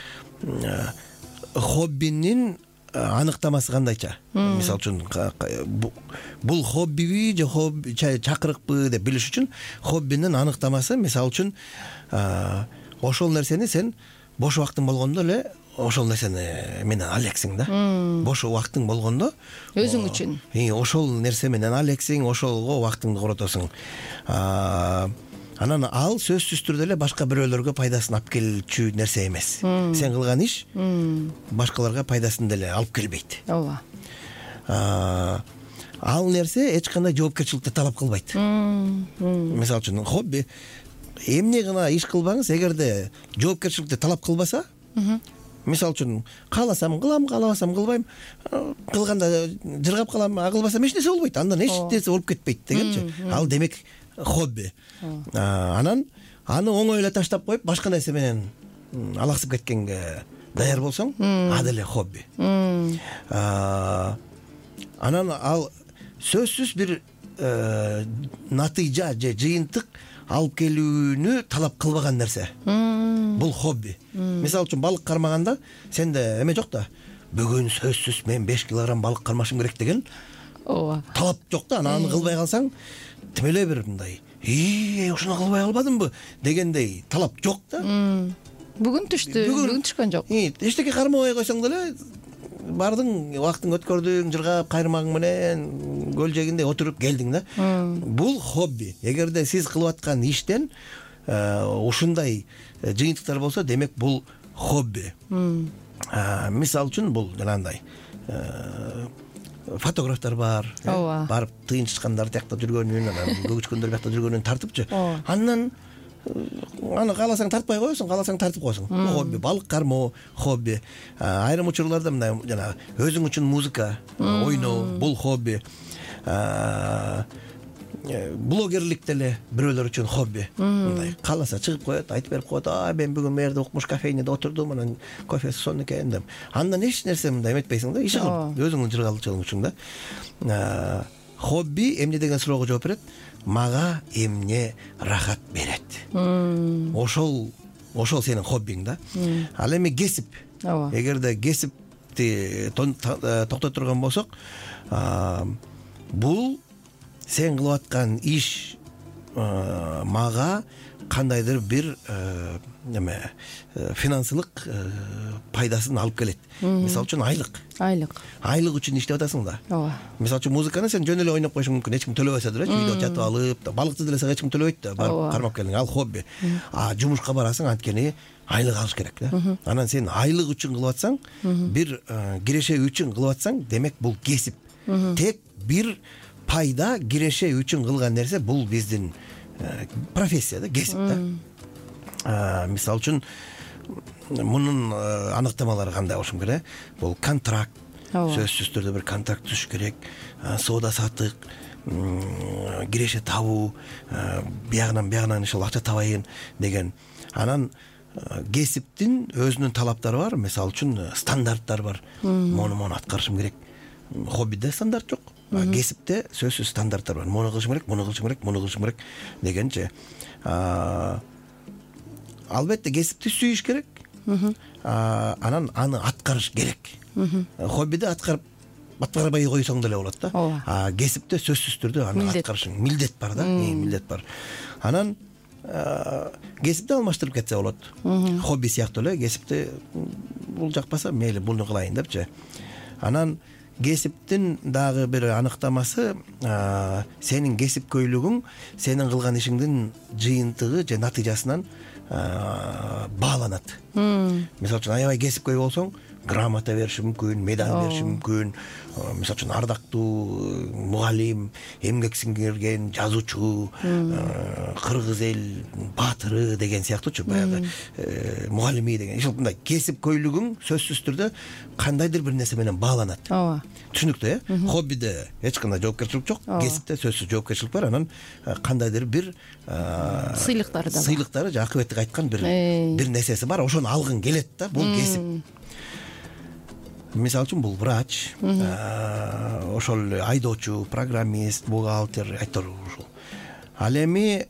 хоббинин аныктамасы кандайча? Мисалы үчүн бул хоббиби же чакырыкпы деп билиш үчүн хоббинин аныктамасы, мисалы үчүн ошол нерсени сен бош убактың болгондо эле ошол нерсени менен алексиң да. Бош убактың болгондо өзүң үчүн ошол нерсе менен алексиң, ошолго убактыңды коротосуң. Анан ал сөзсүз түрдө эле башка бирөөлөргө пайдасын алып келчү нерсе эмес. Сен кылган иш башкаларга пайдасын деле алып келбейт. ооба. Ал нерсе эч кандай жоопкерчиликти талап кылбайт. Мисалы үчүн хобби эмне гана иш кылбаңыз, эгерде жоопкерчиликти талап кылбаса, мисалы үчүн кааласам кылам, каалабасам кылбайм, кылганда жыргап калам, кылбасам эч нерсе болбойт, андан эч нерсе болуп кетпейт дегенчи. Ал демек хобби. Анан аны оңой эле таштап коюп башка нерсе менен алаксып кеткенге даяр болсоң, а деле хобби. Анан ал сөзсүз бир натыйжа же жыйынтык алып келүүнү талап кылбаган нерсе. Бул хобби. Мисалы үчүн балык кармаганда сенде эме жок да. Бүгүн сөзсүз мен 5 килограмм балык кармашым керек деген ооба. талап жок да. Аны кылбай калсаң, тим эле бир мындай, ошону кылбай албадымбы дегендей талап жок да. Бүгүн түшкөн жок. Эчтеке кармабай койсоң деле бардың, убактың өткөрдүң, жыргап кайрмагың менен көл жээгинде отуруп келдиң да. Бул хобби. Эгерде сиз кылып аткан иштен ушундай жыйынтыктар болсо, демек бул хобби. Мисалы үчүн бул жанагындай фотографтар бар, барып тыйынчышкандар тиякта жүргөнүн, анан көгүчкөндөр биякта жүргөнүн тартыпчы. Андан аны кааласаң тартпай коесуң, кааласаң тартып коесуң. Хобби. Балык кармоо хобби. Айрым учурларда мындай жана өзүң үчүн музыка ойноо, бул хобби. Блогерлик деле бирөөлөр үчүн хобби. Мындай кааласа чыгып коет, айтып берип коет, мен бүгүн мэрде укмуш кафейнеде отурдум, анан кофеси сонун экен деп. Андан эч нерсе мындай эметпейсиң да, иш кылып, өзүңдүн жыргалчылыгың үчүн да. Хобби эмне деген суроого жооп берет? Мага эмне рахат берет. Ошол сенин хоббиң да. Ал эми кесип. Эгерде кесипти токтой турган болсок, бул сен кылып аткан иш мага кандайдыр бир финансылык пайдасын алып келет. Мисалы үчүн айлык үчүн иштеп атасың да. Мисалы үчүн музыканы сен жөн эле ойноп коюшуң мүмкүн, эч ким төлөбөсө деле, үйдө жатып алып, балыкты деле эч ким төлөбөйт да, барып кармап келдиң, ал хобби. Жумушка барасың, анткени айлык алыш керек да. Анан сен айлык үчүн кылып атсаң, бир киреше үчүн кылып атсаң, демек бул кесип. Тек бир пайда киреше үчүн кылган нерсе бул биздин профессия да, кесип да. Мисалы үчүн мунун аныктамалары кандай болушу керек? Бул контракт. Сөзсүз түрдө бир контракт түзүш керек. Соода саттык, киреше табуу, биягынан ошол акча табайын деген. Анан кесиптин өзүнүн талаптары бар. Мисалы үчүн стандарттар бар. Мону аткарышым керек. Хоббиде стандарт жок. Кесипте сөзсүз стандарттар бар. Муну кылышым керек, муну кылышым керек дегенче. Албетте кесипти сүйүш керек. Анан аны аткарыш керек. Хоббиде аткарбай койсоң деле болот да. Кесипте сөзсүз түрдө аны аткарышың милдет бар да, милдет бар. Анан кесипти алмаштырып кетсе болот. Хобби сыяктуу эле кесипти бул жакпаса, мейли буну кылайын депчи. Анан кесиптин дагы бир аныктамасы, сенин кесипкөйлүгүң сенин кылган ишиңдин жыйынтыгы же натыйжасынан бааланат. Мисалы үчүн аябай кесипкөй болсоң, грамота бериши мүмкүн, медаль бериши мүмкүн. Мисалы үчүн ардактуу мугалим, эмгек сиңирген жазуучу, кыргыз эл баатыры деген сыяктуучу баягы мугалими деген. Ошол мындай кесип көйлүгүң сөзсүз түрдө кандайдыр бир нерсе менен бааланат. ооба, Түшүнүктүү, хоббиде эч кандай жоопкерчилик жок, кесипте сөзсүз жоопкерчилик бар. Анан кандайдыр бир сыйлыктары да бар. Сыйлыктары же акыбеттик айткан бир нерсеси бар. Ошону алгың келет да. Бул кесип. Мисалы үчүн бул врач, ошол айдоочу, программист, бухгалтер, айтор ушул. Ал эми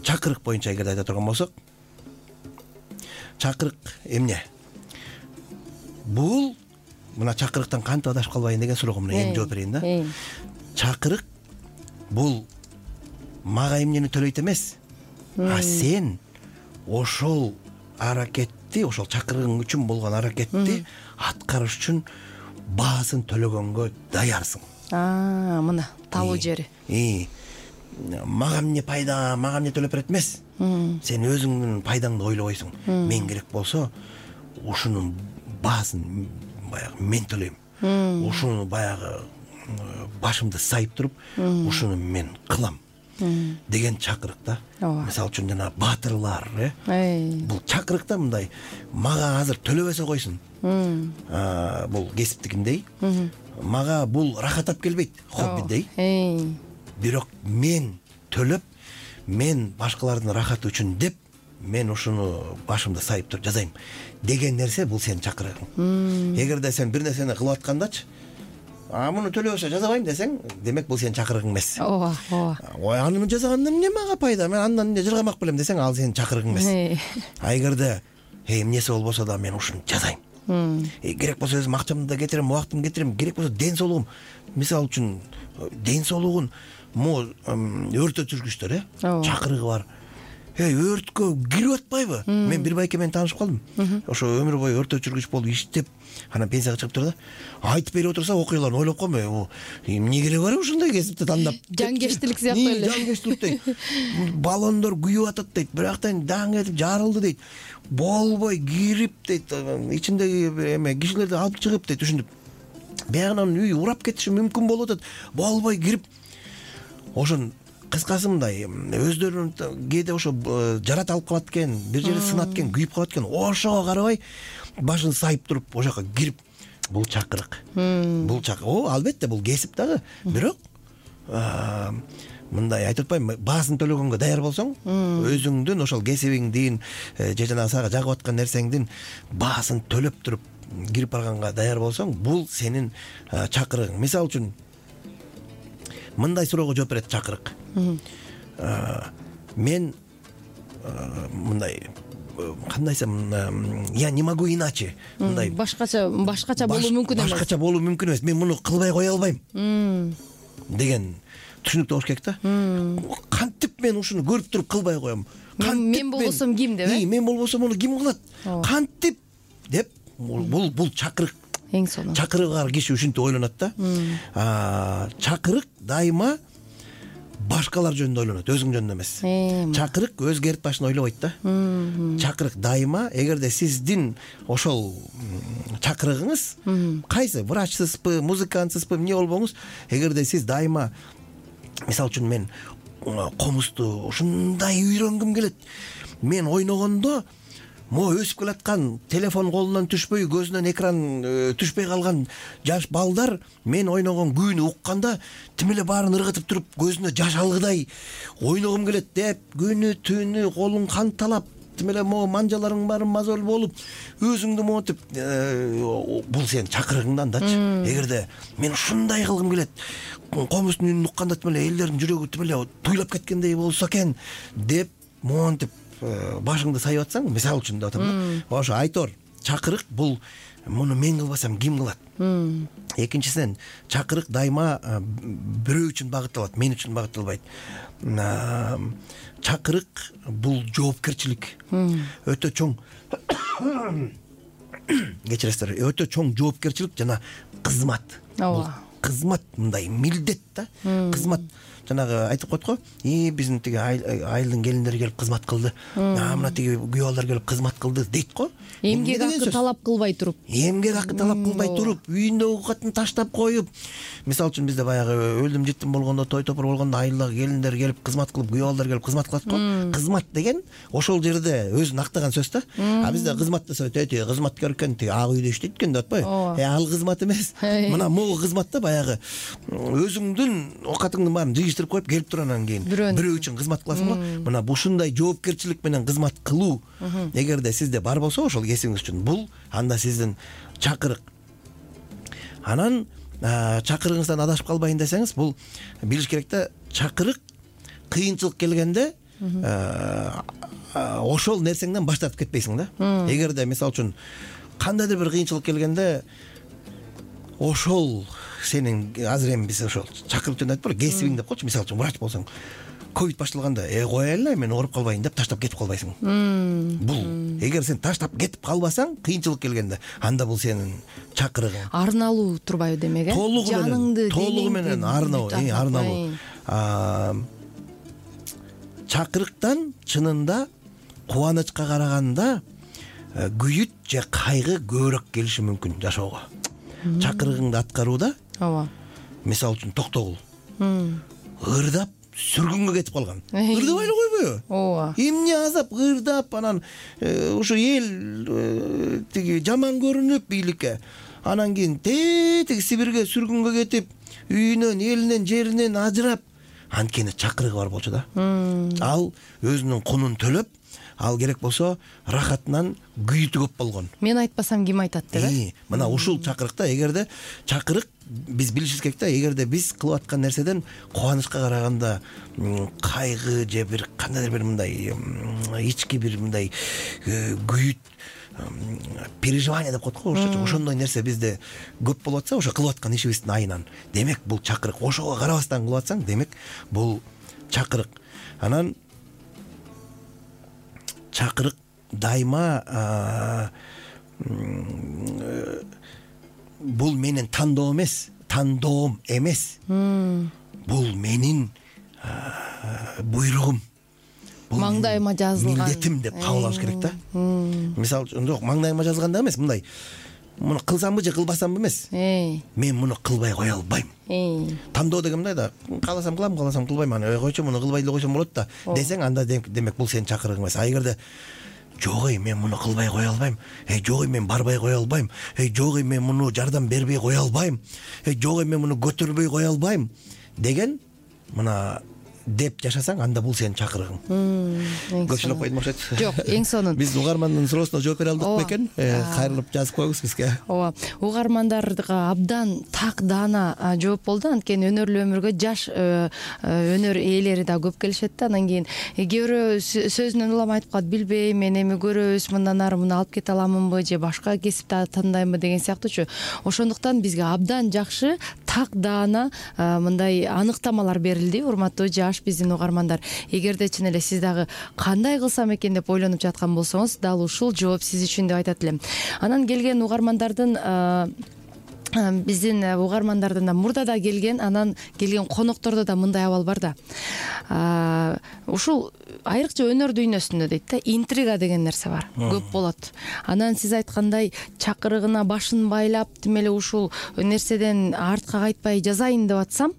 чакырык боюнча эгерде айта турган болсок, чакырык эмне? Бул мына чакырыктан кантип адашып калбайын деген суроого мына эми жооп берейин да. Чакырык бул мага эмнени төлөйт эмес, а сен ошол аракетти, ошол чакырыгың үчүн болгон аракетти аткарыш үчүн баасын төлөгөнгө даярсың. Мына табуу жери. Мага эмне пайда, мага эмне төлөп берет эмес. Сен өзүңдүн пайдаңды ойлобойсуң. Мен керек болсо ушунун баасын баягы мен төлөйм. Ушуну баягы башымды сайып туруп, ушуну мен кылам деген чакырык да. Мисалы үчүн жана баатырлар, бул чакырыкта мындай мага азыр төлөбөсө койсун. Бул кесиптикиндей. Мага бул рахат алып келбейт, хоббидей. Бирок мен төлөп, мен башкалардын рахаты үчүн деп, мен ушуну башымды сайып туруп жазайм деген нерсе бул сенин чакырыгың. Эгерде сен бир нерсени кылып аткандачы, муну төлөбөсө жазабайм десең, демек бул сенин чакырыгың эмес. Ой, аны жазагандан эмне мага пайда? Мен андан эмне жыргамак белем десең, ал сенин чакырыгың эмес. Эгерде эмнеси болбосо да мен ушуну жазайм. Керек болсо өзүм акчамды да кетирем, убактымды кетирем, керек болсо ден соолугум. Мисалы үчүн ден соолугун өрт өчүргүчтөр, чакырыгы бар. Өрткө кирип атпайбы? Мен бир байке менен таанышып калдым. Ошо өмүр бою өрт өчүргүч болуп иштеп, анан пенсияга чыгып турду да. Айтып берип отурса, окуяларын ойлоп коймой, эмне кереги бар ушундай кесипти тандап? Жангештилик сыяктуу эле. Жангештилик дейт. Баллондор күйүп атат дейт, бирактан даң этип жарылды дейт. Болбой кирип дейт, ичиндеги эме кишилерди алып чыгып дейт, түшүндүп. Биягынан үй урап кетиши мүмкүн болуп атат. Болбой кирип. Ошон кыскасы мындай, өздөрүн кээде ошо жарат алып калат экен, бир жери сынат экен, күйүп калат экен. Ошого карабай башын сайып туруп, ошо жака кирип, бул чакырык. Бул чакырык. Албетте бул кесип дагы. Бирок мындай айтып атпайм, баасын төлөгөнгө даяр болсоң, өзүңдүн ошол кесибиңдин же жана сага жагып аткан нерсеңдин баасын төлөп туруп кирип барганга даяр болсоң, бул сенин чакырыгың. Мисалы үчүн мындай суроого жооп берет чакырык. Мен мындай кандайсам, я не могу иначе. Мындай башкача болуу мүмкүн эмес. Башкача болуу мүмкүн эмес. Мен муну кылбай кое албайм. Деген түшүнүктүү болуш керек да. Кантип мен ушуну көрүп туруп кылбай коем? Мен болбосом ким деп? Мен болбосом муну ким кылат? Кантип деп бул чакырык. Эң сонун. Чакырыгы бар киши ушинтип ойлонот да. Чакырык дайыма башкалар жөнүндө ойлонот, өзүң жөнүндө эмес. Чакырык өзгө эрт башын ойлобойт да. Чакырык дайыма, эгерде сиздин ошол чакырыгыңыз кайсы, врачсызбы, музыкантсызбы, эмне болбоңуз, эгерде сиз дайыма, мисалы үчүн мен комузду ушундай үйрөнгүм келет. Мен ойногондо өсүп келаткан, телефон колунан түшпөй, көзүнөн экран түшпөй калган жаш балдар мен ойногон күйүнү укканда тим эле баарын ыргытып туруп, көзүнө жаш алгыдай ойногум келет деп, күнү түнү колуң канталап, тим эле манжаларың баары мазол болуп, өзүңдү монтип, бул сенин чакырыгыңдан дачы. Эгерде мен ушундай кылгым келет, комуздун үнүн укканда тим эле элдердин жүрөгү тим эле туйлап кеткендей болсо экен деп, монтип башыңды сайып атсаң, мисалы үчүн деп атам да. Ошо айтор, чакырык бул муну мен кылбасам ким кылат? Экинчисинен, чакырык дайыма бирөө үчүн багытталат, мен үчүн багытталбайт. Чакырык бул жоопкерчилик. Өтө чоң кечиресиздер, өтө чоң жоопкерчилик жана кызмат. Бул кызмат, мындай милдет да, кызмат. жанагы айтып коет го, биздин тиги айылдын келиндери келип кызмат кылды, мына тиги күйөө балдар келип кызмат кылды дейт го. Эмгек акы талап кылбай туруп. Эмгек акы талап кылбай туруп, үйүндөгү катын таштап коюп. Мисалы үчүн бизде баягы өлүм житим болгондо, той топур болгондо айылдагы келиндер келип кызмат кылып, күйөө балдар келип кызмат кылат го. Кызмат деген ошол жерде өзүн актаган сөз да. А бизде кызмат десе, тиги кызматкер экен, тиги ак үйдө иштейт экен деп атпайбы? Ал кызмат эмес. Мына могу кызмат да, баягы өзүңдүн оокатыңдын баарын жыйыштырып коюп келип туруп анан кийин бирөө үчүн кызмат кыласың го. Мына ушундай жоопкерчилик менен кызмат кылуу эгерде сизде бар болсо ошол кесибиңиз үчүн, бул анда сиздин чакырык. Анан чакырыгыңыздан адашып калбайын десеңиз, бул билиш керек да, чакырык кыйынчылык келгенде ошол нерсеңден баш тартып кетпейсиң да. Эгерде мисалы үчүн кандайдыр бир кыйынчылык келгенде ошол сенин азыр эми биз ошол чакырык жөнүндө айтпайлы, кесибиң деп койчу. Мисалы үчүн врач болсоң, ковид башталганда коеле мен ооруп калбайын деп таштап кетип калбайсың. Бул эгер сен таштап кетип калбасаң, кыйынчылык келгенде, анда бул сенин чакырыгың. Арналуу турбайбы демек, жаныңды, толугу менен арналуу. Чакырыктан чынында кубанычка караганда күйүт же кайгы көбүрөөк келиши мүмкүн жашоого. Чакырыгыңды аткарууда, мисалы үчүн токтогул, ырдап сүргүнгө кетип калган. Ырдабай эле койбойбу? Ооба. Эмне азап ырдап, анан ушу эл тиги жаман көрүнүп бийликке, анан кийин тиги Сибирге сүргүнгө кетип, үйүнөн, элинен, жеринен ажырап, анткени чакырыгы бар болчу да. Ал өзүнүн кунун төлөп, ал керек болсо рахатынан күйүтү көп болгон. Мен айтпасам ким айтат деп. Мына ушул чакырыкта, эгерде чакырык биз билишибиз керек да, эгерде биз кылып аткан нерседен кубанычка караганда кайгы же бир кандайдыр бир мындай ички бир мындай күйүт, переживание деп коет го орусча. Ошондой нерсе бизде көп болуп атса, ошо кылып аткан ишибиздин айынан, демек бул чакырык. Ошого карабастан кылып атсаң, демек бул чакырык. Анан чакырык дайыма бул менин тандоом эмес. Бул менин буйругум. Маңдайыма жазылган милдетим деп кабыл алыш керек да. Мисалы үчүн, жок, маңдайыма жазылганда эмес, мындай. Муну кылсамбы же кылбасамбы эмес. Мен муну кылбай кое албайм. Тандоо деген мындай да, кааласам кылам, кааласам кылбайм. Аны койчу, муну кылбай эле койсом болот да десең, анда демек бул сенин чакырыгың эмес. А эгерде жок, мен муну кылбай кое албайм, жок, мен барбай кое албайм, жок, мен муну жардам бербей кое албайм, жок, мен муну көтөрбөй кое албайм деген мына деп жашасаң, анда бул сенин чакырыгың. Көпчүлүк койдум окшойт. Жок, эң сонун. Биз угармандын суроосуна жооп бере алдык бекен? Кайрылып жазып коюңуз бизге. Ооба. Угармандарга абдан так даана жооп болду. Анткени өнөрлүү өмүргө жаш өнөр ээлери да көп келишет да. Анан кийин кээ бирөө сөзүнөн улам айтып калат, билбейм, мен эми көрөбүз, мындан ары муну алып кете аламынбы же башка кесипти тандаймбы деген сыяктуучу. Ошондуктан бизге абдан жакшы, так даана мындай аныктамалар берилди, урматтуу жаш биздин угармандар. Эгерде чын эле сиз дагы кандай кылсам экен деп ойлонуп жаткан болсоңуз, дал ушул жооп сиз үчүн деп айтат элем. Анан келген угармандардын биздин угармандардын да мурда да келген, анан келген коноктордо да мындай абал бар да. Ушул айрыкча өнөр дүйнөсүндө дейт да, интрига деген нерсе бар, көп болот. Анан сиз айткандай чакырыгына башын байлап, тим эле ушул нерседен артка кайтпай жазайын деп атсам,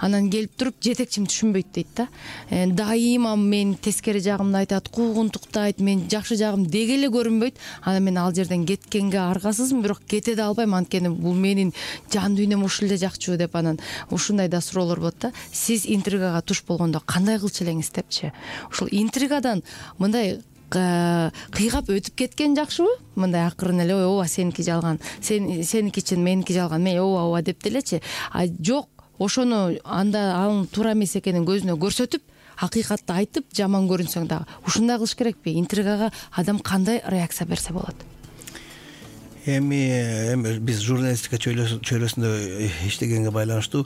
анан келип туруп жетекчим түшүнбөйт дейт да. Дайыма мен тескери жагымды айтат, куугунтуктайт, мен жакшы жагым деге эле көрүнбөйт. Анан мен ал жерден кеткенге аргасызмын, бирок кете да албайм, анткени бул менин жан дүйнөм ушул эле жакчу деп. Анан ушундай да суроолор болот да. Сиз интригага туш болгондо кандай кылчу элеңиз депчи. Ушул интригадан мындай кыйгап өтүп кеткен жакшыбы? Мындай акырын эле, ооба сеники жалган, сеники чын, меники жалган, мен ооба деп делечи. А жок, ошону анда анын туура эмес экенин көзүнө көрсөтүп, акыйкатты айтып, жаман көрүнсөң дагы ушундай кылыш керекпи? Интригага адам кандай реакция берсе болот? Эми биз журналистика чөйрөсүндө иштегенге байланыштуу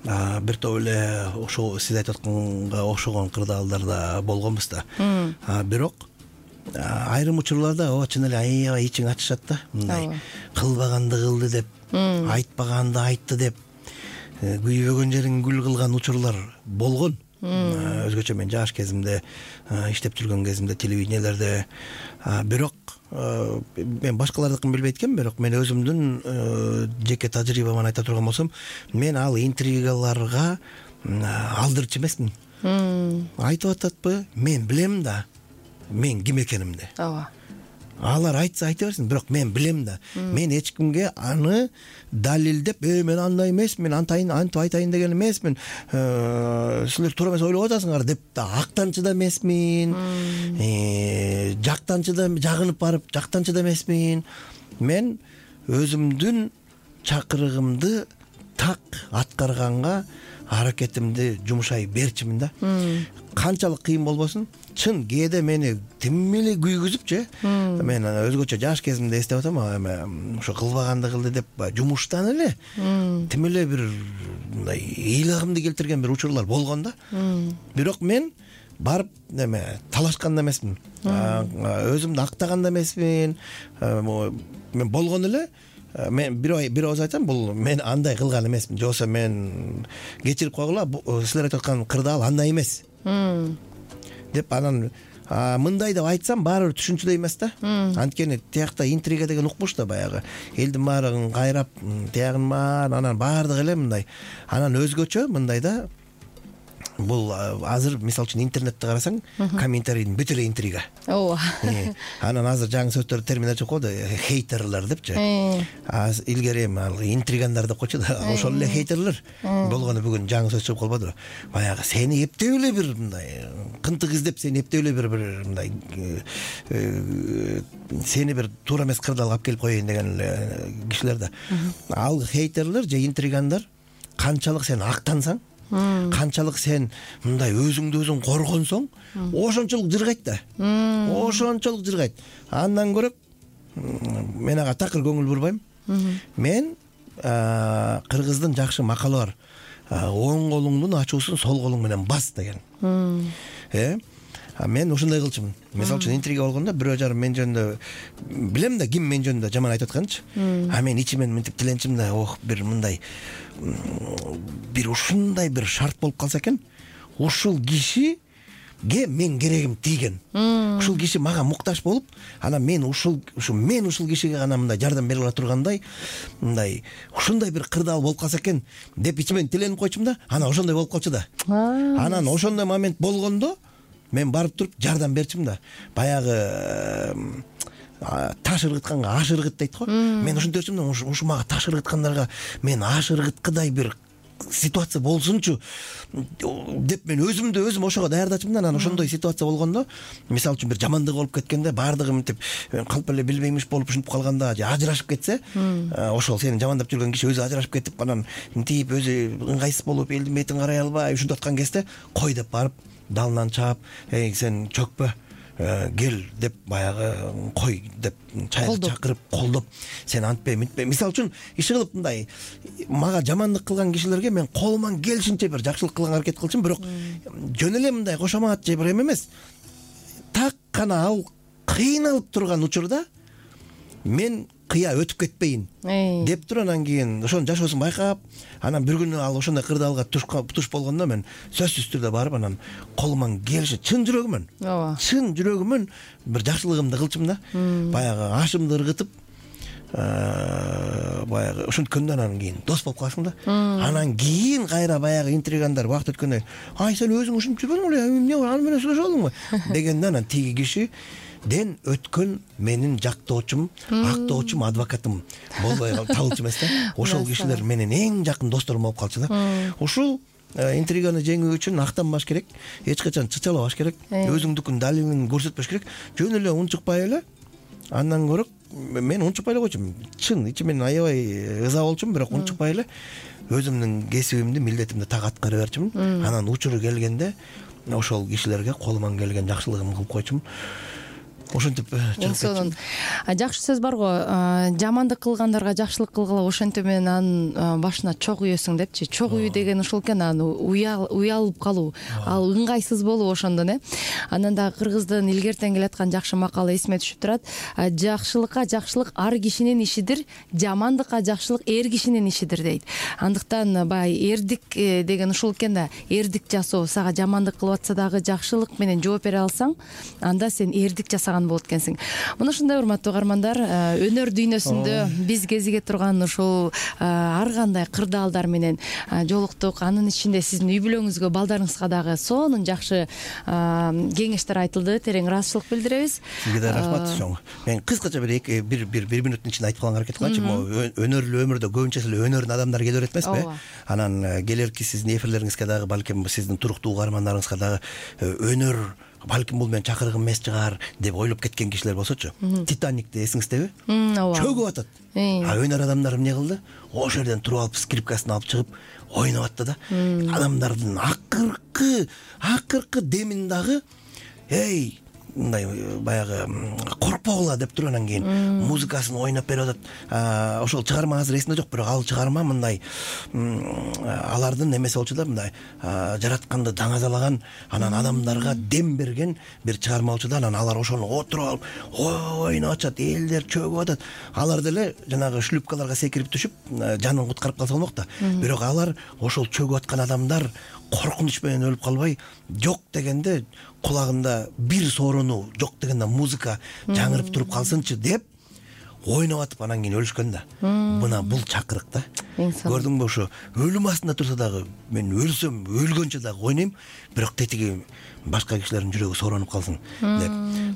бир топ эле ошол сиз айтып атканга окшогон кырдаалдар да болгонбуз да. Бирок айрым учурларда чын эле аябай ичиң ачышат да. Мындай кылбаганды кылды деп, айтпаганды айтты деп. күйбөгөн жерин гүл кылган учурлар болгон. Өзгөчө мен жаш кезимде иштеп жүргөн кезимде телевидениелерде, бирок мен башкалардыкын билбейт экенмин, бирок мен өзүмдүн жеке тажрыйбаман айта турган болсом, мен ал интригаларга алдырчу эмесмин. Айтып ататпы, мен билем да мен ким экенимди. ооба. Алар айтса айта берсин, бирок мен билем да. Мен эч кимге аны далилдеп, мен андай эмесмин, антип айтайын деген эмесмин. Силер туура эмес ойлоп атасыңар деп да актанчы да эмесмин. Жактанчы да, жагынып барып жактанчы да эмесмин. Мен өзүмдүн чакырыгымды так аткарганга аракетимди жумшай берчимин да. Канчалык кыйын болбосун, чын кээде мени тим эле күйгүзүпчү. Мен өзгөчө жаш кезимде эстеп атам, ошо кылбаганды кылды деп жумуштан эле тим эле бир мындай ыйлагымды келтирген бир учурлар болгон да. Бирок мен барып талашкан да эмесмин. Өзүмдү актаган да эмесмин. Мен болгон эле мен бир ооз айтсам, бул мен андай кылган эмесмин, же болбосо мен кечирип койгула, силер айтып аткан кырдаал андай эмес деп, анан мындай деп айтсам баары бир түшүнчүдөй эмес да. Анткени тиякта интрига деген укмуш да, баягы элдин баарын кайрап, тиягын баарын, анан баардыгы эле мындай. Анан өзгөчө мындай да, бул азыр мисалы үчүн интернетти карасаң, комментарийдин бүт эле интрига. Ооба. Анан азыр жаңы сөздөр, терминдер чыгып калды, хейтерлер депчи. Илгери ал интригандар деп койчу да, ошол эле хейтерлер болгону бүгүн жаңы сөз чыгып калбадыбы? Баягы сени эптеп эле бир мындай кынтык издеп, сени эптеп эле бир мындай сени бир туура эмес кырдаалга алып келип коеюн деген эле кишилер да. Ал хейтерлер же интригандар канчалык сен актансаң, канчалык сен мындай өзүңдү өзүң коргонсоң, ошончолук жыргайт да. Ошончолук жыргайт. Андан көрө мен ага такыр көңүл бурбайм. Мен кыргыздын жакшы макалы бар. Оң колуңдун ачуусун сол колуң менен бас деген. Мен ушундай кылчумун. Мисалы үчүн интрига болгондо бирөө жарым мен жөнүндө, билем да ким мен жөнүндө жаман айтып атканчы. Мен ичимен мынтип тиленчим да, бир мындай бир ушундай бир шарт болуп калса экен, ушул кишиге мен керегим тийген. Ушул киши мага муктаж болуп, анан мен ушул кишиге гана мындай жардам бере ала тургандай, мындай ушундай бир кырдаал болуп калса экен деп ичимен тиленип койчумун да, анан ошондой болуп калчу да. Анан ошондой момент болгондо мен барып туруп жардам берчимин да. Баягы таш ыргытканга аш ыргыт дейт го. Мен ушинтип берчимин да, ушу мага таш ыргыткандарга мен аш ыргыткыдай бир ситуация болсунчу деп мен өзүмдү өзүм ошого даярдачымын да. Анан ошондой ситуация болгондо, мисалы үчүн бир жамандык болуп кеткенде, баардыгы мынтип калп эле билбеймиш болуп ушинтип калганда, же ажырашып кетсе, ошол сени жамандап жүргөн киши өзү ажырашып кетип, анан мынтип өзү ыңгайсыз болуп, элдин бетин карай албай ушинтип аткан кезде, кой деп барып далынан чаап, сен чөкпө, кел деп баягы кой деп чайга чакырып колдоп, сен антпе мынтпе. Мисалы үчүн иши кылып мындай мага жамандык кылган кишилерге мен колуман келишинче бир жакшылык кылганга аракет кылчумун, бирок жөн эле мындай кошомат же бир эме эмес. Так гана ал кыйналып турган учурда мен кыя өтүп кетпейин деп туруп, анан кийин ошонун жашоосун байкап, анан бир күнү ал ошондой кырдаалга туш болгондо мен сөзсүз түрдө барып, анан колуман келиши чын жүрөгүмөн бир жакшылыгымды кылчумун да. Баягы ашымды ыргытып, баягы ушинткөндө анан кийин дос болуп калышым да. Анан кийин кайра баягы интригандар убакыт өткөндөн кийин, сен өзүң ушинтип жүрбөдүңбү беле, эмне аны менен сүйлөшүп алдыңбы дегенде, анан тиги киши ден өткөн менин жактоочум, актоочум, адвокатым болбой табылчу эмес да. Ошол кишилер менин эң жакын досторум болуп калчу да. Ушул интриганы жеңүү үчүн актанбаш керек, эч качан чычалабаш керек, өзүңдүкүн далилин көрсөтпөш керек, жөн эле унчукпай эле. Андан көрө мен унчукпай эле койчумун, чын ичимен аябай ыза болчумун, бирок унчукпай эле өзүмдүн кесибимди, милдетимди так аткара берчимин. Анан учуру келгенде ошол кишилерге колуман келген жакшылыгымды кылып койчумун. ошентип эң сонун жакшы сөз бар го, жамандык кылгандарга жакшылык кылгыла, ошентип менен анын башына чок үйөсүң депчи. Чок үйү деген ушул экен, анан уялып калуу, ал ыңгайсыз болуу ошондон Анан дагы кыргыздын илгертен келаткан жакшы макалы эсиме түшүп турат. Жакшылыкка жакшылык ар кишинин ишидир, жамандыкка жакшылык эр кишинин ишидир дейт. Андыктан баягы эрдик деген ушул экен да, эрдик жасоо, сага жамандык кылып атса дагы жакшылык менен жооп бере алсаң, анда сен эрдик жасаган болот экенсиң. Мына ушундай урматтуу угармандар, өнөр дүйнөсүндө биз кезиге турган ушул ар кандай кырдаалдар менен жолуктук. Анын ичинде сиздин үй бүлөңүзгө, балдарыңызга дагы сонун жакшы кеңештер айтылды. Терең ыраазычылык билдиребиз. Сизге да рахмат. Мен кыскача бир минуттун ичинде айтып калганга аракет кылачы. Өнөрлүү өмүрдө көбүнчө эле өнөрүн адамдар келе берет эмеспи? Анан келерки сиздин эфирлериңизге дагы балким сиздин туруктуу угармандарыңызга дагы өнөр балким бул менин чакырыгым эмес чыгар деп ойлоп кеткен кишилер болсочу, Титаникти эсиңиздеби? Ооба. Чөгүп атат. Өнөр адамдар эмне кылды? Ошол жерден туруп алып скрипкасын алып чыгып ойноп атты да. Адамдардын акыркы демин дагы мындай баягы коркпогула деп туруп анан кийин музыкасын ойноп берип атат. Ошол чыгарма азыр эсимде жок, бирок ал чыгарма мындай алардын эмеси болчу да, мындай жаратканды даңазалаган, анан адамдарга дем берген бир чыгарма болчу да. Анан алар ошону отуруп алып ойноп атышат, элдер чөгүп атат. Алар деле жанагы шлюпкаларга секирип түшүп жанын куткарып калса болмок да. Бирок алар ошол чөгүп аткан адамдар коркунуч менен өлүп калбай, жок дегенде кулагымда бир сооронуу, жок дегенде музыка жаңырып туруп калсынчы деп ойноп атып анан кийин өлүшкөн да. Мына бул чакырык да. Көрдүңбү, ошо өлүм астында турса дагы мен өлсөм, өлгөнчө дагы ойнойм, бирок тетиги башка кишилердин жүрөгү сооронуп калсын деп.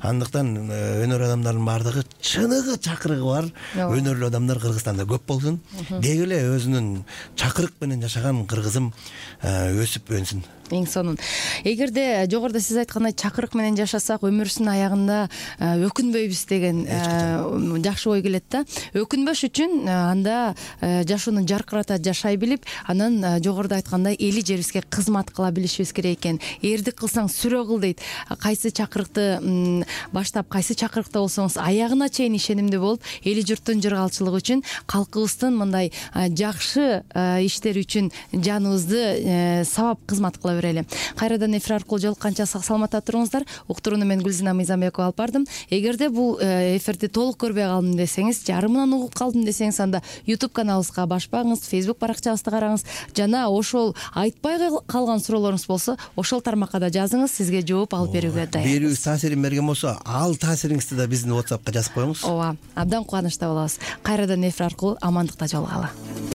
Андыктан өнөр адамдарынын баардыгы чыныгы чакырыгы бар өнөрлүү адамдар Кыргызстанда көп болсун. Деги эле өзүнүн чакырык менен жашаган кыргызым өсүп өнсүн. Эң сонун. Эгерде жогоруда сиз айткандай чакырык менен жашасак, өмүрүбүздүн аягында өкүнбөйбүз деген жакшы ой келет да. Өкүнбөш үчүн анда жашоону жаркырата жашай билип, анан жогоруда айткандай эли жерибизге кызмат кыла билишибиз керек экен. Эрдик кылсаң сүрө кыл дейт. Кайсы чакырыкты баштап, кайсы чакырыкта болсоңуз аягына чейин ишенимдүү болуп, эли журттун жыргалчылыгы үчүн, калкыбыздын мындай жакшы иштери үчүн жаныбызды сабап кызмат кыла берели. Кайрадан эфир аркылуу жолукканча сак саламатта туруңуздар. Уктурууну мен Гүлзина Мыйзамбекова алып бардым. Эгерде бул эфирди толук көрбөй калдым десеңиз, жарымынан угуп калдым десеңиз, анда YouTube каналыбызга башпаңыз, Facebook баракчабызды караңыз, жана ошол айтпай калган суроолоруңуз болсо, ошол тармакка да жазыңыз, сизге жооп алып берүүгө даярбыз. Берүүбүз таасирин берген болсо, ал таасириңизди да биздин WhatsAppка жазып коюңуз. Ооба, абдан кубанычта болобуз. Кайрадан эфир аркылуу амандыкта жолугалы.